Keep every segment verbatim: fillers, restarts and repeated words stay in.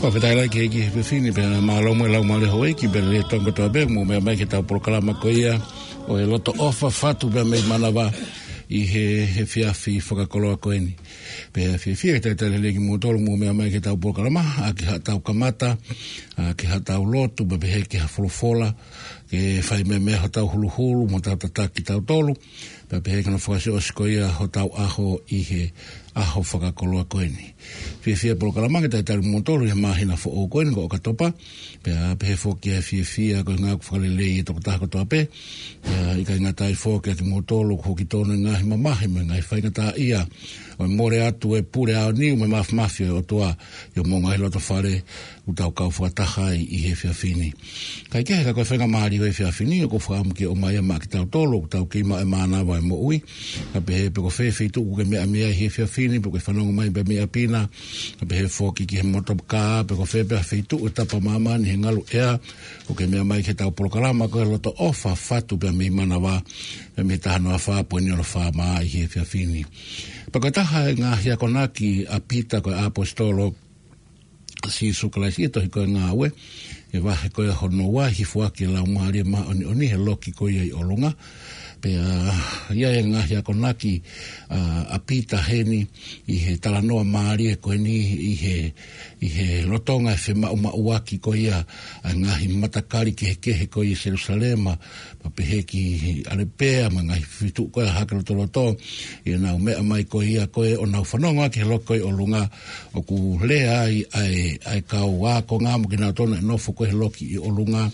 Fakafetaʻi lahi ki he ʻEiki he efiafi ni, pea mālō mo e laumālie houʻeiki, pea lelei e Tonga kotoa pē, mou meʻa mai ki heʻetau polokalama ko ia ʻo e Loto ʻOfa, Fatu pea mei Manava ʻi he, he efiafi fakakoloa ko eni. Pea fiefia ke talitali lelei kimoutolu mou meʻa mai ki heʻetau polokalama, ʻaki haʻatau kamata, ʻaki haʻatau lotu, pea pehē ki ha folofola, ke fai meʻa mei ai hotau huluhulu, mo tau tataki tautolu, pea pehē ki hono fakaʻosiʻosi ko ia hotau ʻaho ʻi he ʻaho fakakoloa ko eni. Fiefia polokalama ke talitali moutolu ʻi he māhina foʻou ko eni ko ʻOkatopa, pea pehē foki ʻa e fiefia ko e ʻuhinga ʻoku fakalelei e tokotaha kotoa pē, pea ʻikai ngata ai foki kiate kimoutolu ʻoku hoki tonu e ngaahi mamahi mo e ngaahi faingataʻaʻia, ʻo e mole atu e pule aoniu mo e māfimafi ʻo e ʻOtua ʻi homou ngaahi loto fale, ʻoku tau kau fakataha ai ʻi he efiafi ni. Kae kehe, ka ko e faingamālie ʻo e efiafi ni, ʻoku ou fakaʻamu ke ʻomai ia maʻa kitautolu ʻoku tau kei maʻu e mānava ʻo e moʻui. Ka pehē pe ko fē feituʻu ʻoku ke meʻa mei ai he efiafi ni, pe ʻoku ke fanongo mai pē mei ʻapi na, ka pehē foki ki he motokā, pe ko fē pē ha feituʻu ʻo e tapa ʻo māmani he ngalu ʻea, ʻoku ke meʻa mai ki heʻetau polokalama ko e Loto ʻOfa, Fatu pea mei Manava, pea mei he taha noa fā poini ono fā mā ʻi he efiafi ni. Pea ko e taha e ngaahi akonaki ʻa Pita ko e ʻAposetolo ʻa Sīsū Kalaisi ʻi he tohi ko e Ngāue, ʻi he vahe ko ia hono ua, hifo ʻaki e Laumālie Māʻoniʻoni he loki ko ia ʻi ʻolunga. Pea ʻi ai e ngaahi akonaki ʻa, ʻa Pita heni ʻi he talanoa mālie ko eni ʻi he, ʻi he lolotonga e femaʻumaʻuaki ko ia ʻa e ngaahi matakali kehekehe ko ia ʻi Selusalema, pea pehē ki ʻAlepea mo e ngaahi feituʻu ko ia ʻa Hahake Lotoloto, ʻi heʻenau meʻa mai ko ia ko ē ʻo nau fanongo ʻaki he loki ko ia ʻi ʻolunga, ʻoku lea ai ʻa e, ʻa e kau ākonga mo kinautolu naʻe nofo ko ē he loki ʻi ʻolunga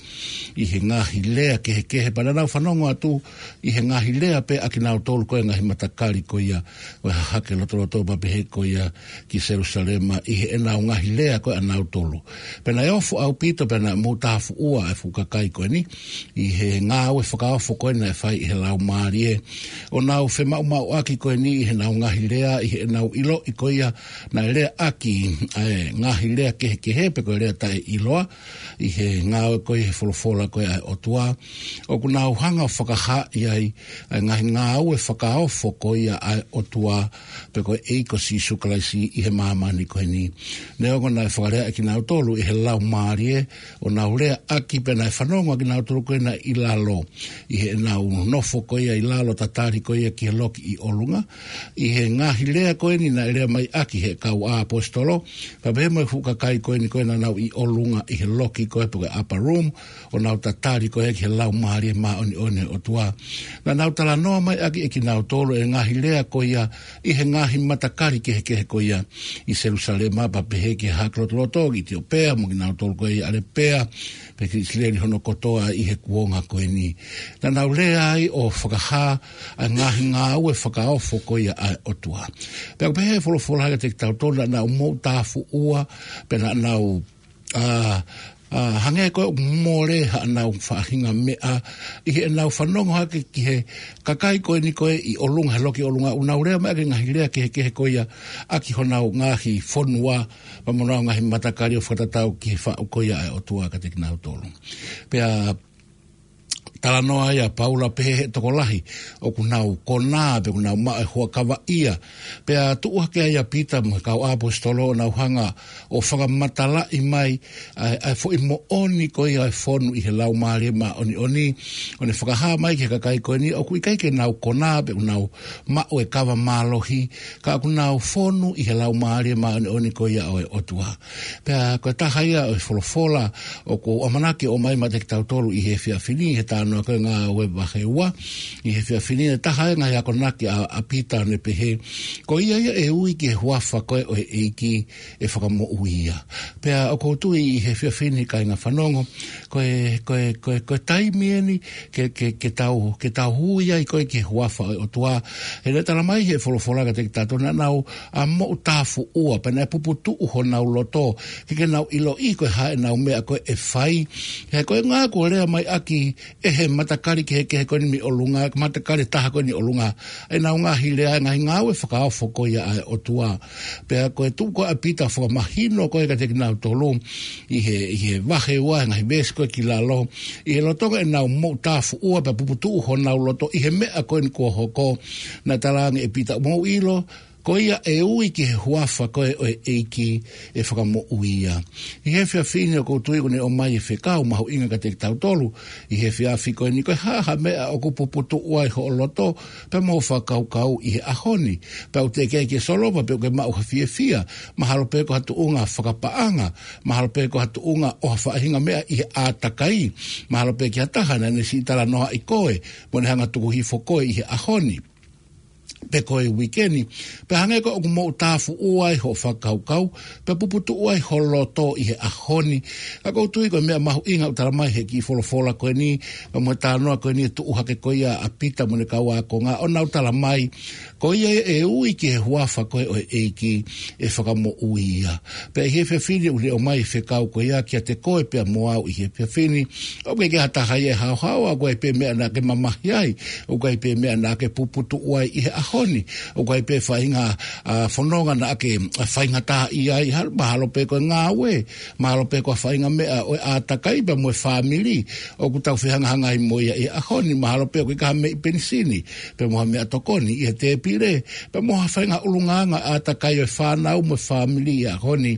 ʻi he ngaahi lea kehekehe, pea naʻa nau fanongo atu ʻi he ngaahi lea pē ʻa kinautolu ko ē ngaahi matakali ko ia ʻo e Hahake Lotoloto pea pehē ko ia ki Selusalema ʻi heʻenau ngaahi lea ko ē ʻanautolu. Pea naʻe ofo ʻaupito, pea naʻe moutafuʻua e fuʻu kakai ko eni ʻi he ngāue fakaofo ko ē naʻe fai ʻe he Laumālie, ʻo nau femaʻumaʻuaki ko eni ʻi heʻenau ngaahi lea, ʻi heʻenau ʻiloʻi ko ia naʻe leaʻaki ʻa e ngaahi lea kehekehe pe ko e lea taʻeʻiloa ʻi he ngāue ko ia he folofola ko ia ʻa e ʻOtua. ʻOku nau hanga ʻo fakahaaʻi ai ʻa e ngaahi ngāue fakaofo ko ia ʻa e ʻOtua, pe ko e ʻEiki ko Sīsū Kalaisi ʻi he māmani ko eni. Neongo naʻe fakalea ʻe kinautolu ʻe he Laumālie ʻo nau leaʻaki, pea naʻe fanongo ʻa kinautolu ko ē naʻe ʻi lalo, ʻi heʻenau nofo ko ia ʻi lalo tatali ko ia ki he loki ʻi ʻolunga, ʻi he ngaahi lea ko eni naʻe lea mai ʻaki ʻe he kau ʻaposetolo, pea pehē mo e fuʻu kakai ko eni ko ē naʻa nau ʻi ʻolunga ʻi he loki ko ē pe ko e upper room, ʻo nau tatali ko ē ki he Laumālie Māʻoniʻoni ʻo e ʻOtua. Naʻa nau talanoa mai ʻaki ʻe kinautolu e ngaahi lea ko ia ʻi he ngaahi matakali kehekehe ko ia ʻi Selusalema, pea pehē ki Hahake Lotoloto, ki ʻItiopea mo kinautolu ko ē ʻi ʻAlepea, pea ki ʻIsileli hono kotoa ʻi he kuonga ko eni. Naʻa nau lea ai ʻo fakahā ʻa e ngaahi ngāue fakaofo ko ia ʻa e ʻOtua. Pea ʻoku pehē ʻe he folofola kiate kitautolu naʻa nau moutafuʻua, pea naʻa nau ʻa, ʻa, hangē ko e mole haʻanau faʻahinga meʻa, ʻi heʻenau fanongo hake ki he kakai ko eni ko ē ʻi ʻolunga he loki ʻolunga, ʻoku nau lea mai ʻaki e ngaahi lea kehekehe ko ia ʻaki honau ngaahi fonua, pea mo honau ngaahi matakali ʻo fakatatau ki he faʻu ko ia ʻa e ʻOtua kiate kinautolu. Pea talanoa ai ʻa Paula pehē ʻe he tokolahi ʻoku nau konā pe ʻoku nau maʻu e huʻakavaʻia. Pea tuʻu hake ai ʻa Pita mo e kau ʻaposetolo ʻo nau hanga ʻo fakamatalaʻi mai ʻa e, ʻa e foʻi moʻoni ko ia ʻo e fonu ʻi he Laumālie Māʻoniʻoni, ʻo ne fakahā mai ki he kakai ko eni ʻoku ʻikai ke nau konā pe ʻoku nau maʻu e kava mālohi, ka ʻoku nau fonu ʻi he Laumālie Māʻoniʻoni ko ia ʻo e ʻOtua. Pea ko e taha ia ʻo e folofola ʻoku ou ʻamanaki ʻo ʻomai maʻa kitautolu ʻi he efiafi ni, he talanoa ko e Ngāue vahe ua, ʻi he efiafi ni, ʻe taha e ngaahi akonaki ʻa, ʻa Pita ʻo ne pehē, ko ia ia ʻe ui ki he huafa ko ē ʻo e ʻEiki ʻe fakamoʻui ia. Pea ʻoku ou tui ʻi he efiafi ni kāinga fanongo, ko e, ko e, ko e, ko e taimi eni ke, ke, ke tau, ke tau ui ai ko ē ki he huafa ʻo e ʻOtua. He naʻe talamai ʻe he folofola kiate kitautolu naʻa nau ʻa moutafuʻua, pea naʻe puputuʻu honau loto, ke, ke nau ʻiloʻi ko e hā ʻenau meʻa ko ē ʻe fai. He ko e ʻuhinga ʻoku lea mai ʻaki ʻe he matakali kehekehe ko eni mei ʻolunga, matakali taha ko eni ʻi ʻolunga, ʻenau ngaahi lea, ngaahi ngāue fakaofo ko ia ʻa e ʻOtua. Pea ko e tuʻu ko ē ʻa Pita fakamahino ko ē kiate kinautolu, ʻi he, ʻi he vahe ua, ngaahi veesi ko ē ki lalo, ʻi he lolotonga ʻenau moutafuʻua pea puputuʻu honau loto ʻi he meʻa ko eni kuo hoko, naʻe talaange ʻe Pita, mou ʻilo, Ko ia ʻe ui ki he huafa ko ē ʻo e ʻEiki ʻe fakamoʻui ia. ʻI he efiafi ni ʻoku ou tui ʻoku ne ʻomai e fekau mahuʻinga kiate kitautolu ʻi he efiafi ko eni, ko e hā ha meʻa ʻoku puputuʻu ai hoʻo loto pea mo e fakakaukau ʻi he ʻaho ni. Pea ʻoku teʻeki ai ke solova pe ʻoku ke maʻu ha fiefia, mahalo pē ko ha tuʻunga fakapaʻanga, mahalo pē ko ha tuʻunga ʻo ha faʻahinga meʻa ʻi he ʻātakai, mahalo pē ki ha taha naʻa ne siʻi talanoaʻi koe mo ne hanga tuku hifo koe ʻi he ʻaho ni pe ko e uike ni, pea hangē ko ē ʻoku mou tāfuʻua ai hoʻo fakakaukau, pea puputuʻu ai ho loto ʻi he ʻaho ni. Ka ʻoku ou tui ko e meʻa mahuʻinga ʻoku tala mai he kiʻi folofola ko eni, pea mo e talanoa ko eni ʻe tuʻu hake ko ia ʻa Pita mo ʻene kau ākonga, ʻo nau tala mai, ko ia ʻe ui ki he huafa ko ē ʻo e ʻEiki ʻe fakamoʻui ia. Pea ʻi he efiafi ni ʻoku ne ʻomai e fekau ko ia kiate koe pea mo au ʻi he efiafi ni. ʻOku ʻikai ke ha taha ia ʻe haohaoa, ʻoku ʻikai pē meʻa naʻa ke mamahi ai, ʻoku ʻikai pē meʻa naʻa ke puputuʻu ai ʻi he ʻaho ni, ʻoku ʻikai pē faʻahinga, ʻa, fononga naʻa ke, ʻa, faingataʻaʻia ai, ha-, mahalo pē ko e ngāue, mahalo pē ko ha faʻahinga meʻa ʻo e ʻātakai pea mo e fāmili ʻoku tau fehangahangai mo ia ʻi he ʻaho ni, mahalo pē ʻoku ʻikai ha meʻi penisini pea mo ha meʻatokoni ʻi he tēpile, pea mo ha faʻahinga ʻulungaanga ʻātakai ʻo e fānau mo e fāmili ʻi he ʻaho ni.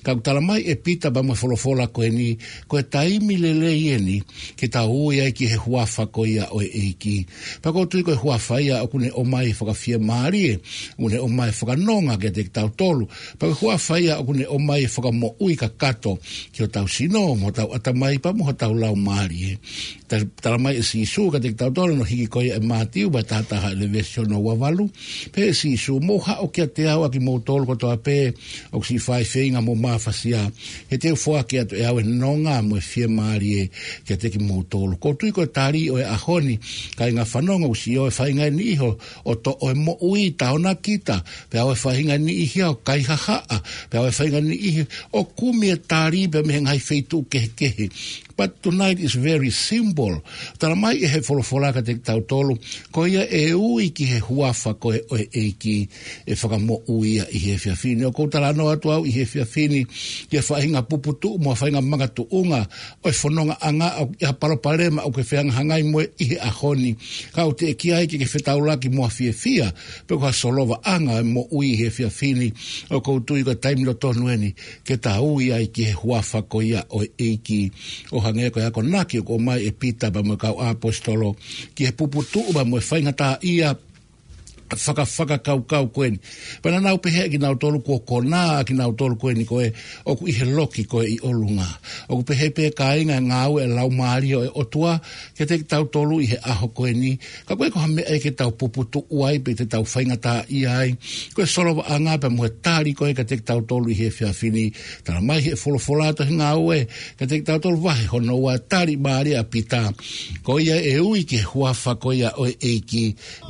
Ka ʻoku tala mai ʻe Pita pea mo e folofola ko eni, ko e taimi lelei eni ke tau ui ai ki he huafa ko ia ʻo e ʻEiki. Pea ʻoku ou tui ko e huafa ia ʻoku ne ʻomai e fakafiemālie, ʻoku ne ʻomai e fakanonga kiate kitautolu. Pea ko e huafa ia ʻoku ne ʻomai e fakamoʻui kakato ki hotau sino, mo hotau ʻatamai pea mo hotau laumālie. Ta-, tala mai ʻe Sīsū kiate kitautolu ʻi hono hiki ko ia ʻe Mātiu vahe taha taha ʻi he veesi hono ua valu. Pehē ʻe Sīsū, mou haʻu kiate au ʻa kimoutolu kotoa pē ʻoku siʻi fai feinga mo mafasia, he te u foaki atu ʻe au e nonga mo e fiemālie kiate kimoutolu. ʻOku ou tui ko e tali ʻo e ʻaho ni, kāinga fanongo, ʻoku siʻi ʻi ai e faʻahinga ʻe niʻihi ʻo toʻo e moʻui, taʻona kita, pea ʻi ai e faʻahinga ʻe niʻihi ʻo kaihahaʻa, pea ʻi ai e faʻahinga ʻe niʻihi ʻo kumi e tali pea mei he ngaahi feituʻu kehekehe. But tonight is very simple. Tala mai ʻe he folofola kiate kitautolu, ko ia ʻe ui ki he huafa ko ē ʻo e ʻEiki ʻe fakamoʻui ia ʻi he efiafi ni. ʻOku ou talanoa atu au ʻi he efiafi ni ki he faʻahinga puputuʻu mo ha faʻahinga makatuʻunga ʻo e fonongaʻanga ʻoku ʻi ai ha palopalema ʻoku ke fehangahangai mo ia ʻi he ʻaho ni. Ka ʻoku teʻeki ai ke ke fetaulaki mo ha fiefia pe ko ha solovaʻanga ʻo e moʻui ʻi he efiafi ni. ʻOku ou tui ko e taimi lolotonga eni ke tau ui ai ki he huafa ko ia ʻo e ʻEiki, ʻo hangē ko e akonaki ʻoku ʻomai ʻe Pita pea mo e kau ʻaposetolo ki he puputuʻu pea mo e faingataʻaʻia faka-, fakakaukau ko eni. Pea naʻa nau pehē ʻe kinautolu kuo konā ʻa kinautolu ko eni ko ē ʻoku ʻi he loki ko ē ʻi ʻolunga. ʻOku pehē pē, kāinga, e ngāue ʻa e Laumālie ʻo e ʻOtua kiate kitautolu ʻi he ʻaho ko eni. Ka ʻoku ʻikai ko ha meʻa ia ke tau puputuʻu ai pe te tau faingataʻaʻia ai. Ko e solovaʻanga pea mo e tali ko ē kiate kitautolu ʻi he efiafi ni. Tala mai ʻe he folofola ʻa e Tohi Ngāue kiate kitautolu vahe hono ua, tali mālie ʻa Pita, ko ia ʻe ui ki he huafa ko ia ʻo e ʻEiki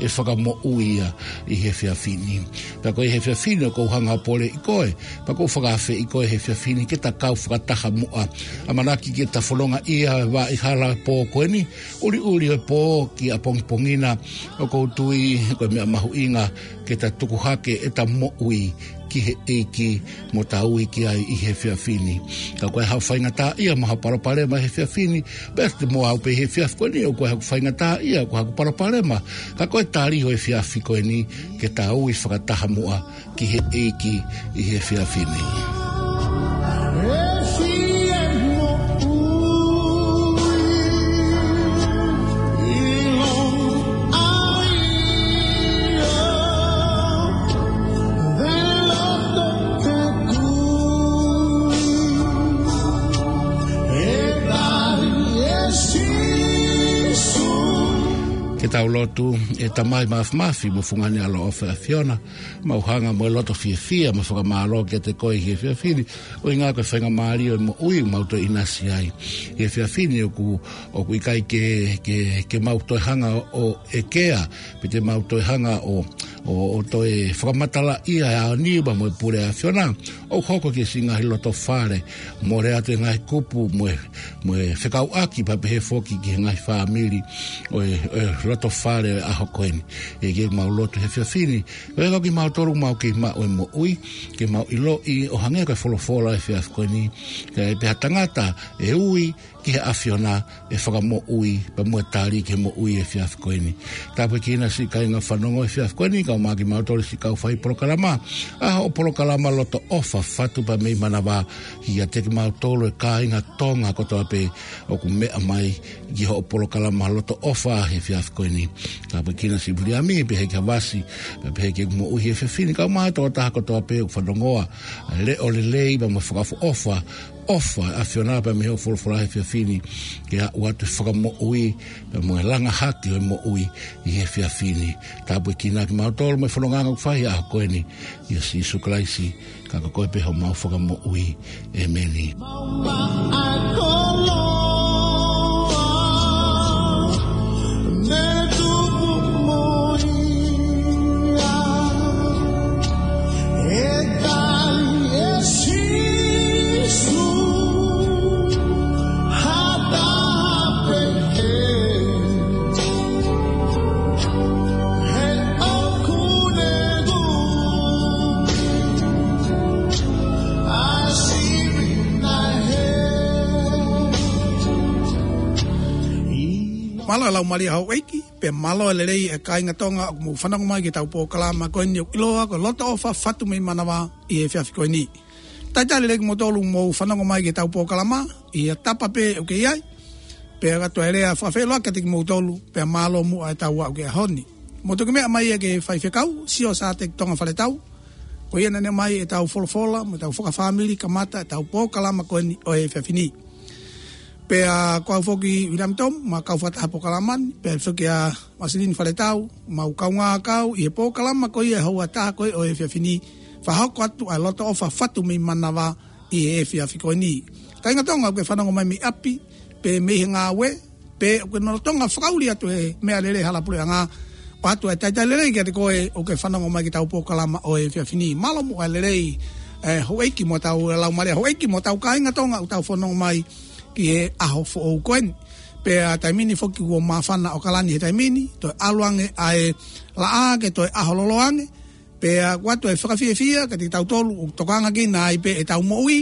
ʻe fakamoʻui ia ʻi he efiafi ni. Pea ko e efiafi ni ʻoku ou hanga ʻo poleʻi koe, pea ʻoku ou fakaafeʻi koe he efiafi ni ke ta kau fakataha muʻa. ʻAmanaki ke ta fononga ʻi he vaʻa hala pō ko eni, ʻuliʻuli ʻo e pō ki ʻapongipongi na. ʻOku ou tui ko e meʻa mahuʻinga ke ta tuku hake ʻeta moʻui ki he ʻEiki mo ta ui ki ai ʻi he efiafi ni. Ka ʻoku ʻi ai haʻo faingataʻaʻia mo haʻo palopalema he efiafi ni, pea te mo au pē he efiafi ko eni, ʻoku ʻi ai haʻaku faingataʻaʻia, ʻoku ʻi ai haʻaku palopalema. Ka ko e tali ʻo e efiafi ko eni, ke ta ui fakataha muʻa ki he ʻEiki ʻi he efiafi ni. Ke tau lotu. ʻE Tamai Māfimafi mo Fungani ʻAloʻofa ʻa e ʻAfiona, mau hanga mo e loto fiefia mo e fakamālō kiate koe he efiafi ni, ʻuhinga ko e faingamālie ʻo e moʻui ʻoku mau toe ʻinasi ai. He efiafi ni ʻoku, ʻoku ʻikai ke, ke, ke mau toe hanga ʻo ʻekea, pe te mau toe hanga ʻo, ʻo, ʻo toe fakamatalaʻia ʻa e ʻaho ni pea mo e pule ʻa e ʻAfiona. ʻOku hoko ki he siʻi ngaahi loto fale, mole atu e ngaahi kupu mo e, mo e fekauʻaki pea pehē foki ki he ngaahi fāmili ʻo e, ʻo e loto fale ʻo e ʻaho ko eni. ʻEiki, mau lotu he efiafi ni, ʻoku ʻikai ko kimautolu ʻoku mau kei maʻu e moʻui, ke mau ʻiloʻi ʻo hangē ko e folofola he efiafi ko eni, ke pehē ʻa e tangata ʻe ui ki he ʻAfiona ʻe fakamoʻui, pea mo e tali ki he moʻui he efiafi ko eni. Tāpuekina siʻi kāinga fanongo he efiafi ko eni, kae ʻumaʻā kimautolu siʻi kau fai polokalama. ʻA hoʻo polokalama Loto ʻOfa Fatu pea mei Manavā, kiate kimautolu e kāinga Tonga kotoa pē ʻoku meʻa mai ki hoʻo polokalama Loto ʻOfa he efiafi ko eni. Tāpuekina siʻi Viliami, pehē ki Havasi, pea pehē ki he moʻui he efiafi ni, kae ʻumaʻā e tokotaha kotoa pē ʻoku fanongoa ʻa e leʻo lelei pea mo e fakaʻofoʻofa, ʻofa ʻa e ʻAfiona pea mei hoʻo folofola he efiafi ni, ke aʻu atu e fakamoʻui pea mo e langa hake ʻo e moʻui ʻi he efiafi ni. Tāpuekina kimautolu mo e fononga ʻoku fai he ʻaho ko eni, ʻia Sīsū Kalaisi, ka ko koe pē homau Fakamoʻui. ʻEmeni. Mālō e laumālie houʻeiki, pea mālō e lelei e kāinga Tonga ʻoku mou fanongo mai ki heʻetau polokalama ko eni ʻoku ʻiloa ko e Loto ʻOfa Fatu mei Manavā ʻi he efiafi ko eni. Talitali lelei kimoutolu mou fanongo mai ki heʻetau polokalama ʻi he tapa pē ʻoku ke ʻi ai. Pea ʻoatu e lea fakafeʻiloaki kiate kimoutolu, pea mālō muʻa ʻetau aʻu ki he ʻaho ni. Mou toki meʻa mai ia ki he faifekau, Siosateki Tonga Faletau. Ko ia naʻa ne ʻomai ʻetau folofola mo ʻetau fakafāmili kamata ʻetau polokalama ko eni ʻo e efiafi ni. Pea ko au foki Viliami Tomu, mo e kau fakataha polokalama ni, pea foki ʻa Masilini Faletau, mo e kau ngākau ʻi he polokalama ko ia ʻe hongofulu mā taha ko ē ʻo e efiafi ni, fakahoko atu ʻa e Loto ʻOfa Fatu mei Manavā ʻi he efiafi ko eni. Kāinga Tonga ʻoku ke fanongo mai mei ʻapi, pe mei he ngāue, pe ʻoku ke lolotonga fakaʻuli atu he meʻalele hala puleʻanga, ʻoatu e talitali lelei kiate koe ʻoku ke fanongo mai ki heʻetau polokalama ʻo e efiafi ni. Mālō muʻa e lelei, ē, houʻeiki mo ʻetau laumālie houʻeiki mo ʻetau kāinga Tonga ʻoku tau fanongo mai ki he ʻaho foʻou ko eni. Pea taimi ni foki kuo māfana ʻOkalani he taimi ni, toe ʻalu ange ʻa e laʻā ke toe ʻaho lolo ange, pea ʻoatu e fakafiefia kiate kitautolu ʻoku tokanga kinautolu ai pē ʻetau moʻui,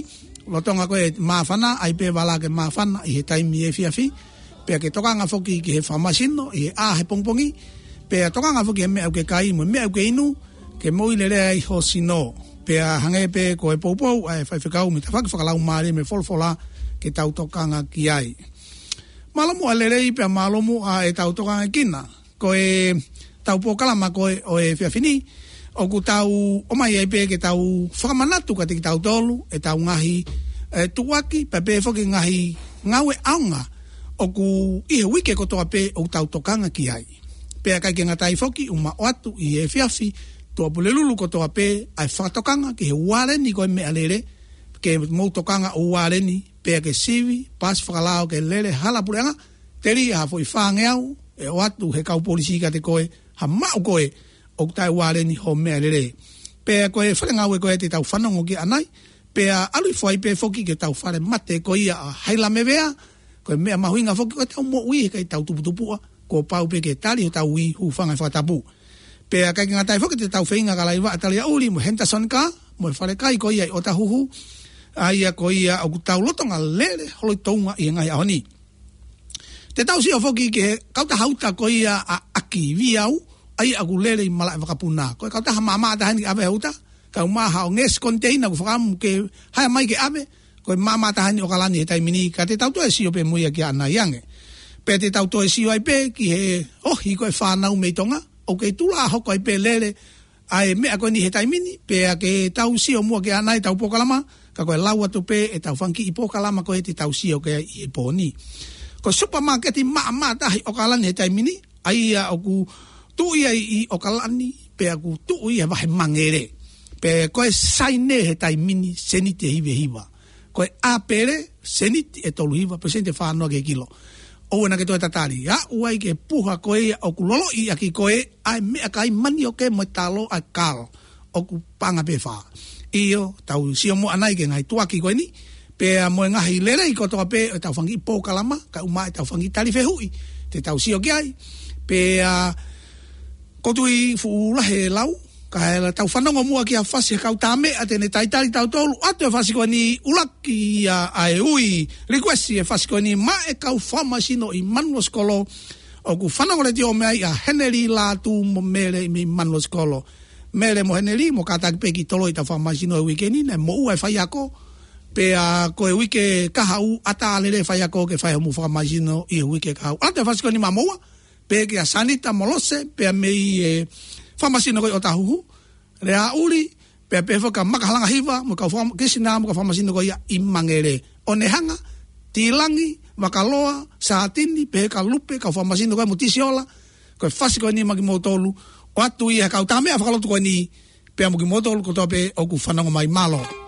lolotonga ko e māfana, ʻai pē vala ke māfana ʻi he taimi efiafi, pea ke tokanga foki ki he fakamasino ʻi he ʻā he pongipongi, pea tokanga foki he meʻa ʻoku ke kai mo e meʻa ʻoku ke inu, ke moʻui lelei ai ho sino. Pea hangē pē ko e poupou ʻa e faifekau mei he tafaʻaki fakalaumālie mo e folofola ke tau tokanga ki ai. Mālō muʻa e lelei pea mālō muʻa ʻetau tokanga kinautolu. Ko ʻetau polokalama ko ē ʻo e efiafi ni, ʻoku tau ʻomai ai pē ke tau fakamanatu kiate kitautolu ʻetau ngaahi, ē, tuʻuaki, pea pehē foki ngaahi ngāue ʻaonga ʻoku ʻi he uike kotoa pē ʻoku tau tokanga ki ai. Pea ʻikai ke ngata ai foki, ʻuma ʻoatu ʻi he efiafi, tuʻapulelulu kotoa pē ʻa e fakatokanga ki he ualeni ko e meʻalele, ke mou tokanga ʻo ualeni, pea ke sivi, pasi fakalao ke lele hala puleʻanga, teli ʻa e foʻi fāngeau ʻe ʻoatu he kau polisi kiate koe, ha maʻu koe ʻoku taʻeualeni ho meʻalele. Pea ko e fale ngāue ko ē te tau fanongo ki ai ʻanai, pea ʻalu hifo ai pē foki ki heʻetau fale mate ko ia ʻa Hailamevea, ko e meʻa mahuʻinga foki ko ʻetau moʻui he ʻikai tau tuputupuʻa, kuo pau pē ke tali hotau ui, hūfanga he fakatapu. Pea ʻikai ke ngata ai foki te tau feinga ka laiva ʻa Taliaʻuli mo Henderson Car, mo e fale kai ko ia ʻi ʻOtahuhu, ʻa ia ko ia ʻoku tau lolotonga lele holo ʻi Tonga ʻi he ngaahi ʻaho ni. Te tau sio foki ki he kautaha uta ko ia ʻa ʻAki Viau, ʻa ia ʻoku lele ʻi Malaʻevakapuna. Ko e kautaha maʻamaʻa taha eni ʻave he uta, kae ʻumaʻā haʻo ngeʻesi koniteina ʻoku fakaʻamu ke haea mai ke ʻave, ko e maʻamaʻa taha eni ʻOkalani he taimi ni, ka te tau toe sio pē mo ia ki ai ʻanai ange. Pea te tau toe sio ai pē ki he ohi ko ē fānau mei Tonga, ʻoku kei tuʻu ʻo hoko ai pē lele ʻa e meʻa ko eni he taimi ni, pea ke tau sio muʻa ki ai ʻanai ʻetau polokalama, ka ko e lau atu pē ʻetau fanga kiʻi polokalama ko ē te tau sio ki ai ʻi he pō ni. Ko e supamaketi maʻamaʻa taha ʻi ʻOkalani he taimi ni, ʻa ia ʻoku tuʻu ia ʻi ʻOkalani, pea ʻoku tuʻu ia he vahe Mangere. Pea ko e saine he taimi ni, seniti ʻe hiva hiva. Ko e ʻāpele, seniti ʻe tolu hiva, pe seniti ʻe fā noa ki he kilo. ʻOua naʻa ke toe tatali. Aʻu ai ki he puha ko ia ʻoku loloʻi ʻaki ko ē ʻa e meʻakai, manioke mo e talo, ʻa e kalo. ʻOku paʻanga pē fā. ʻIo, tau sio muʻa ʻanai ki he ngaahi tuʻuaki ko eni. Pea mo e ngaahi lelei kotoa pē ʻo ʻetau fanga kiʻi polokalama, kae ʻumaʻā ʻetau fanga kiʻi tali fehuʻi te tau sio ki ai. Pea ʻoku ou tui fuʻu lahi e lau, Kae ʻatā ke tau fanongo muʻa ki ha fasi ʻa e kau tā meʻa te ne talitali tautolu atu e fasi ko eni. ʻUluaki ia ʻa e ui, likuesi e fasi ko eni maʻa e kau fakamāsino ʻi Manuʻa Sikolo. ʻOku fanongo letiō mei ai ʻa Heneli Lātū mo Mele mei Manuʻa Sikolo. Mele mo Heneli, mou kātaki pē ke toloi ʻetau fakamāsino he uike ni, naʻe moʻua e faiako. Pea ko e uike kahaʻu, ʻatā lelei e faiako ke fai hoʻomou fakamāsino ʻi he uike kahaʻu. ʻAtā e fasi ko eni maʻa moua, pea kia Sanita Molose, pea mei he fakamāsino ko ē ʻo Ōtāhuhu, Leaʻuli, pea pehē foki kia Maka Halangahiva, mo e kau fakam-, Kisina, mo e kau fakamāsino ko ia ʻi Mangere. ʻOnehanga, Tilangi, Vakaloa, Sātini, pehē kia Lupe, kau fakamāsino ko ē mo Tisiola, ko e fasi ko eni maʻa kimoutolu, ʻoatu ia ʻe he kau tā meʻa fakalotu ko eni, pea mo kimoutolu kotoa pē ʻoku fanongo mai, mālō.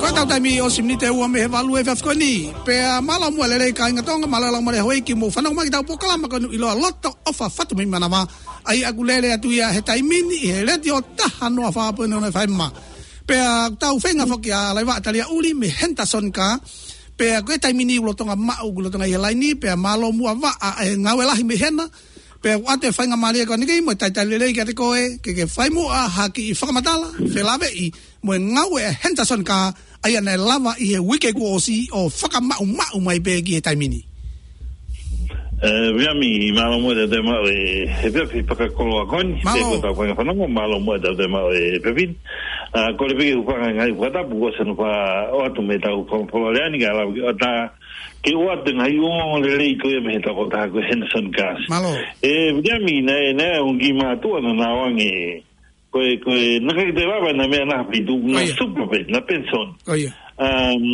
Ko ʻetau taimi ʻosi miniti ʻe ua mei he valu he efiafi ko eni. Pea mālō muʻa e lelei kāinga Tonga, mālō e laumālie houʻeiki, mou fanongo mai ki heʻetau polokalama ko eni ʻiloa Loto ʻOfa Fatu mei Manavā. ʻA ia ʻoku lele atu ia he taimi ni ʻi he Letiō taha noa fā poini ono F M. Pea tau feinga foki ʻa Laiva Talia Uli mei Henderson Car. Pea ko e taimi ni ʻoku lolotonga maʻu, ʻoku lolotonga ʻi he laini, pea mālō muʻa Vaʻa, e ngāue lahi mei hena. Pea ʻoatu e faingamālie ko eni ki ai mo e talitali lelei kiate koe, ke ke fai muʻa ha kiʻi fakamatala, felāveʻi mo e ngāue ʻa Henderson Car, ʻa ia naʻe lava ʻi he uike kuo ʻosi ʻo fakamaʻumaʻu mai pē ki he taimi ni. ʻE, Viliami, mālō muʻa e tautema ʻo e efiafi fakakoloa ko eni. Mālō. Pea ko ʻetau fainga fanongo, mālō muʻa e tautema ʻo e efiafi ni. ʻA, kole pē ke u hūfanga he ngaahi fakatapu kuo ʻosi hono fai atu mei heʻetau fakamatala ni, kae lava ke ʻoatu, ke ʻoatu e ngaahi ongoongo lelei ko ia mei he tokotaha ko Henderson Cars. Mālō. ʻE, Viliami, naʻe, naʻe ongi mātuʻa naʻa nau ange, ko e, ko e, naʻe ʻikai ke toe lava ʻena meʻa naʻa nau fitu, naʻa nau super pē, naʻa nau pension. ʻIo. Um,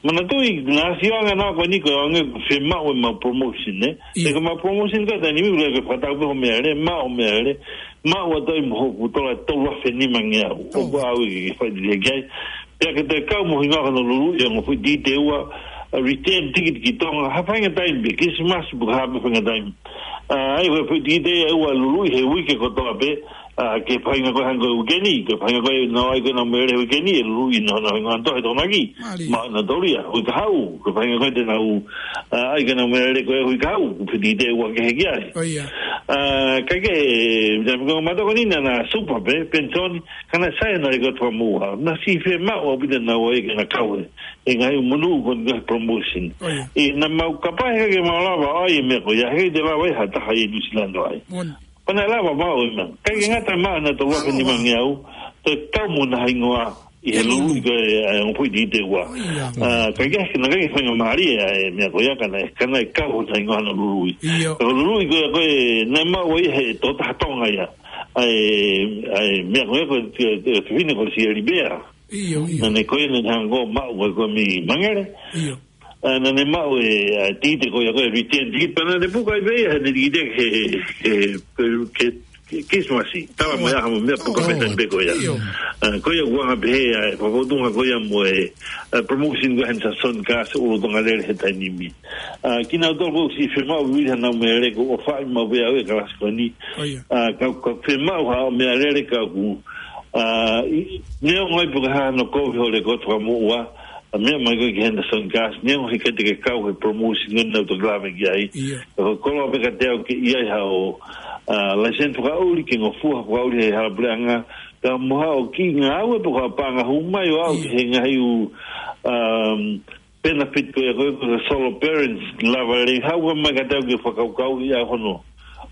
manatuʻi, naʻa nau sio ange ʻa nau ko eni ko e ʻuhinga ko e fiemaʻu ʻemau promotion, ē? ʻIo. He ko ʻemau promotion ko e taimi ni, ʻoku ʻikai ke fakatau pē hoʻo meʻalele, maʻu hoʻo meʻalele, maʻu atu ai mo hoku tola tolu afe nima ngeau. ʻOku ʻaʻau ke ke fai lelei ki ai. Pea ke toe kau mo e hingoa hono luluʻi ʻa e ongo foʻi tikite ua, ʻa e return ticket ki Tonga, ha faʻahinga taimi pē, Kilisimasi pe ko e hā pē faʻahinga taimi. ʻA, ʻa ia ko e foʻi tikite ia ʻoku luluʻi he uike kotoa pē, ʻa, ki he faʻahinga ko ē hangē ko e uike ni, ki he faʻahinga ko ē naʻa nau ʻai ko ē ʻenau meʻalele he uike ni, ʻe luluʻi ʻenau, ʻenau hingoa ʻi Tonga ki. Mālie. Maʻu ʻenau tola ia, uike kahaʻu, ki he faʻahinga ko ē te nau, ʻa, ʻai ko ē ʻenau meʻalele ko ē he uike kahaʻu, ko e foʻi tikite ua kehe ki ai. ʻIo. ʻA, kae kehe, ʻe, ʻe, ʻe, ko e matoko ni naʻa nau super pē, pension, ka naʻe sai ʻena leka fakamuʻa. Naʻe siʻi fiemaʻu ʻaupito ʻenau ʻai ke nau kau he, he ngaahi monū ko e ngaahi promotion. ʻIo. ʻE, naʻa mau kapau he ʻikai ke mau lava ʻo ʻai e meʻa ko ia, he ʻikai te lava ʻe ha taha ʻi Nuʻu Sila ʻo ʻai. Moʻoni. Pea naʻe lava maʻu e meʻa. ʻIkai ke ngata ai maʻu ʻena tolu afe nima ngeau, toe kau mo ʻena hingoa ʻi he luluʻi ko ē ʻa e ongo foʻi tikite ua. ʻIo. ʻA, kae kehe, naʻe ʻikai ke faingamālie ʻa e meʻa ko ia ka naʻe, ka naʻe kau hono hingoa hono luluʻi. ʻIo. Ko e luluʻi ko ē, ko ē, naʻe maʻu ia he tokotaha Tonga ia. ʻA e, ʻa e meʻa ko ia ko e, ko e, ko e fefine ko Sieli Bea. ʻIo, ʻio. Naʻa ne ko ē naʻa ne hanga ʻo maʻu ko ē ko ē mei Mangere. ʻIo. ʻA, naʻa ne maʻu e, ʻa, tikite ko ia ko e return tikite pea naʻa ne puka ai pē ia, he ne tikite ke, ke, ke, ke, ke Christmas. Tala mai ʻa ha meʻa puka pē taimi pē ko ia. ʻIo. ʻA, ko ia ʻoku anga pehē ʻa e fakafotunga ko ia mo e, ʻa, promotion ko ē Henderson Gas ʻo Tonga Lele he taimi ni. ʻA, kinautolu ʻoku siʻi fiemaʻu vili hanau meʻalele ʻoku ʻofaʻi maʻu pē ʻe au e kalasi ko eni. ʻIo. ʻA, ka, ka fiemaʻu haʻo meʻalele ka ʻoku, ʻa, ʻi, neongo ai pe ko e hā hono kovi hoʻo lekooti fakamoʻua, ʻa, meʻa mai ko ē ki Henderson Gas, neongo he ʻikai te ke kau he promotion ko eni naʻa ku toki lave ki ai. ʻIo. Ka ko e koloa pē kiate au ke ʻi ai haʻo, ʻa, license fakaʻuli, ke ngofua fakaʻuli he hala puleʻanga, ka mo haʻo kiʻi ngāue pe ko ha paʻanga hū mai ʻo aʻu ki he ngaahi ʻū, um, benefit ko ia ko e, ko e solo parents, lava lelei, haʻu mai kiate au ke fakakaukauʻi ʻa hono,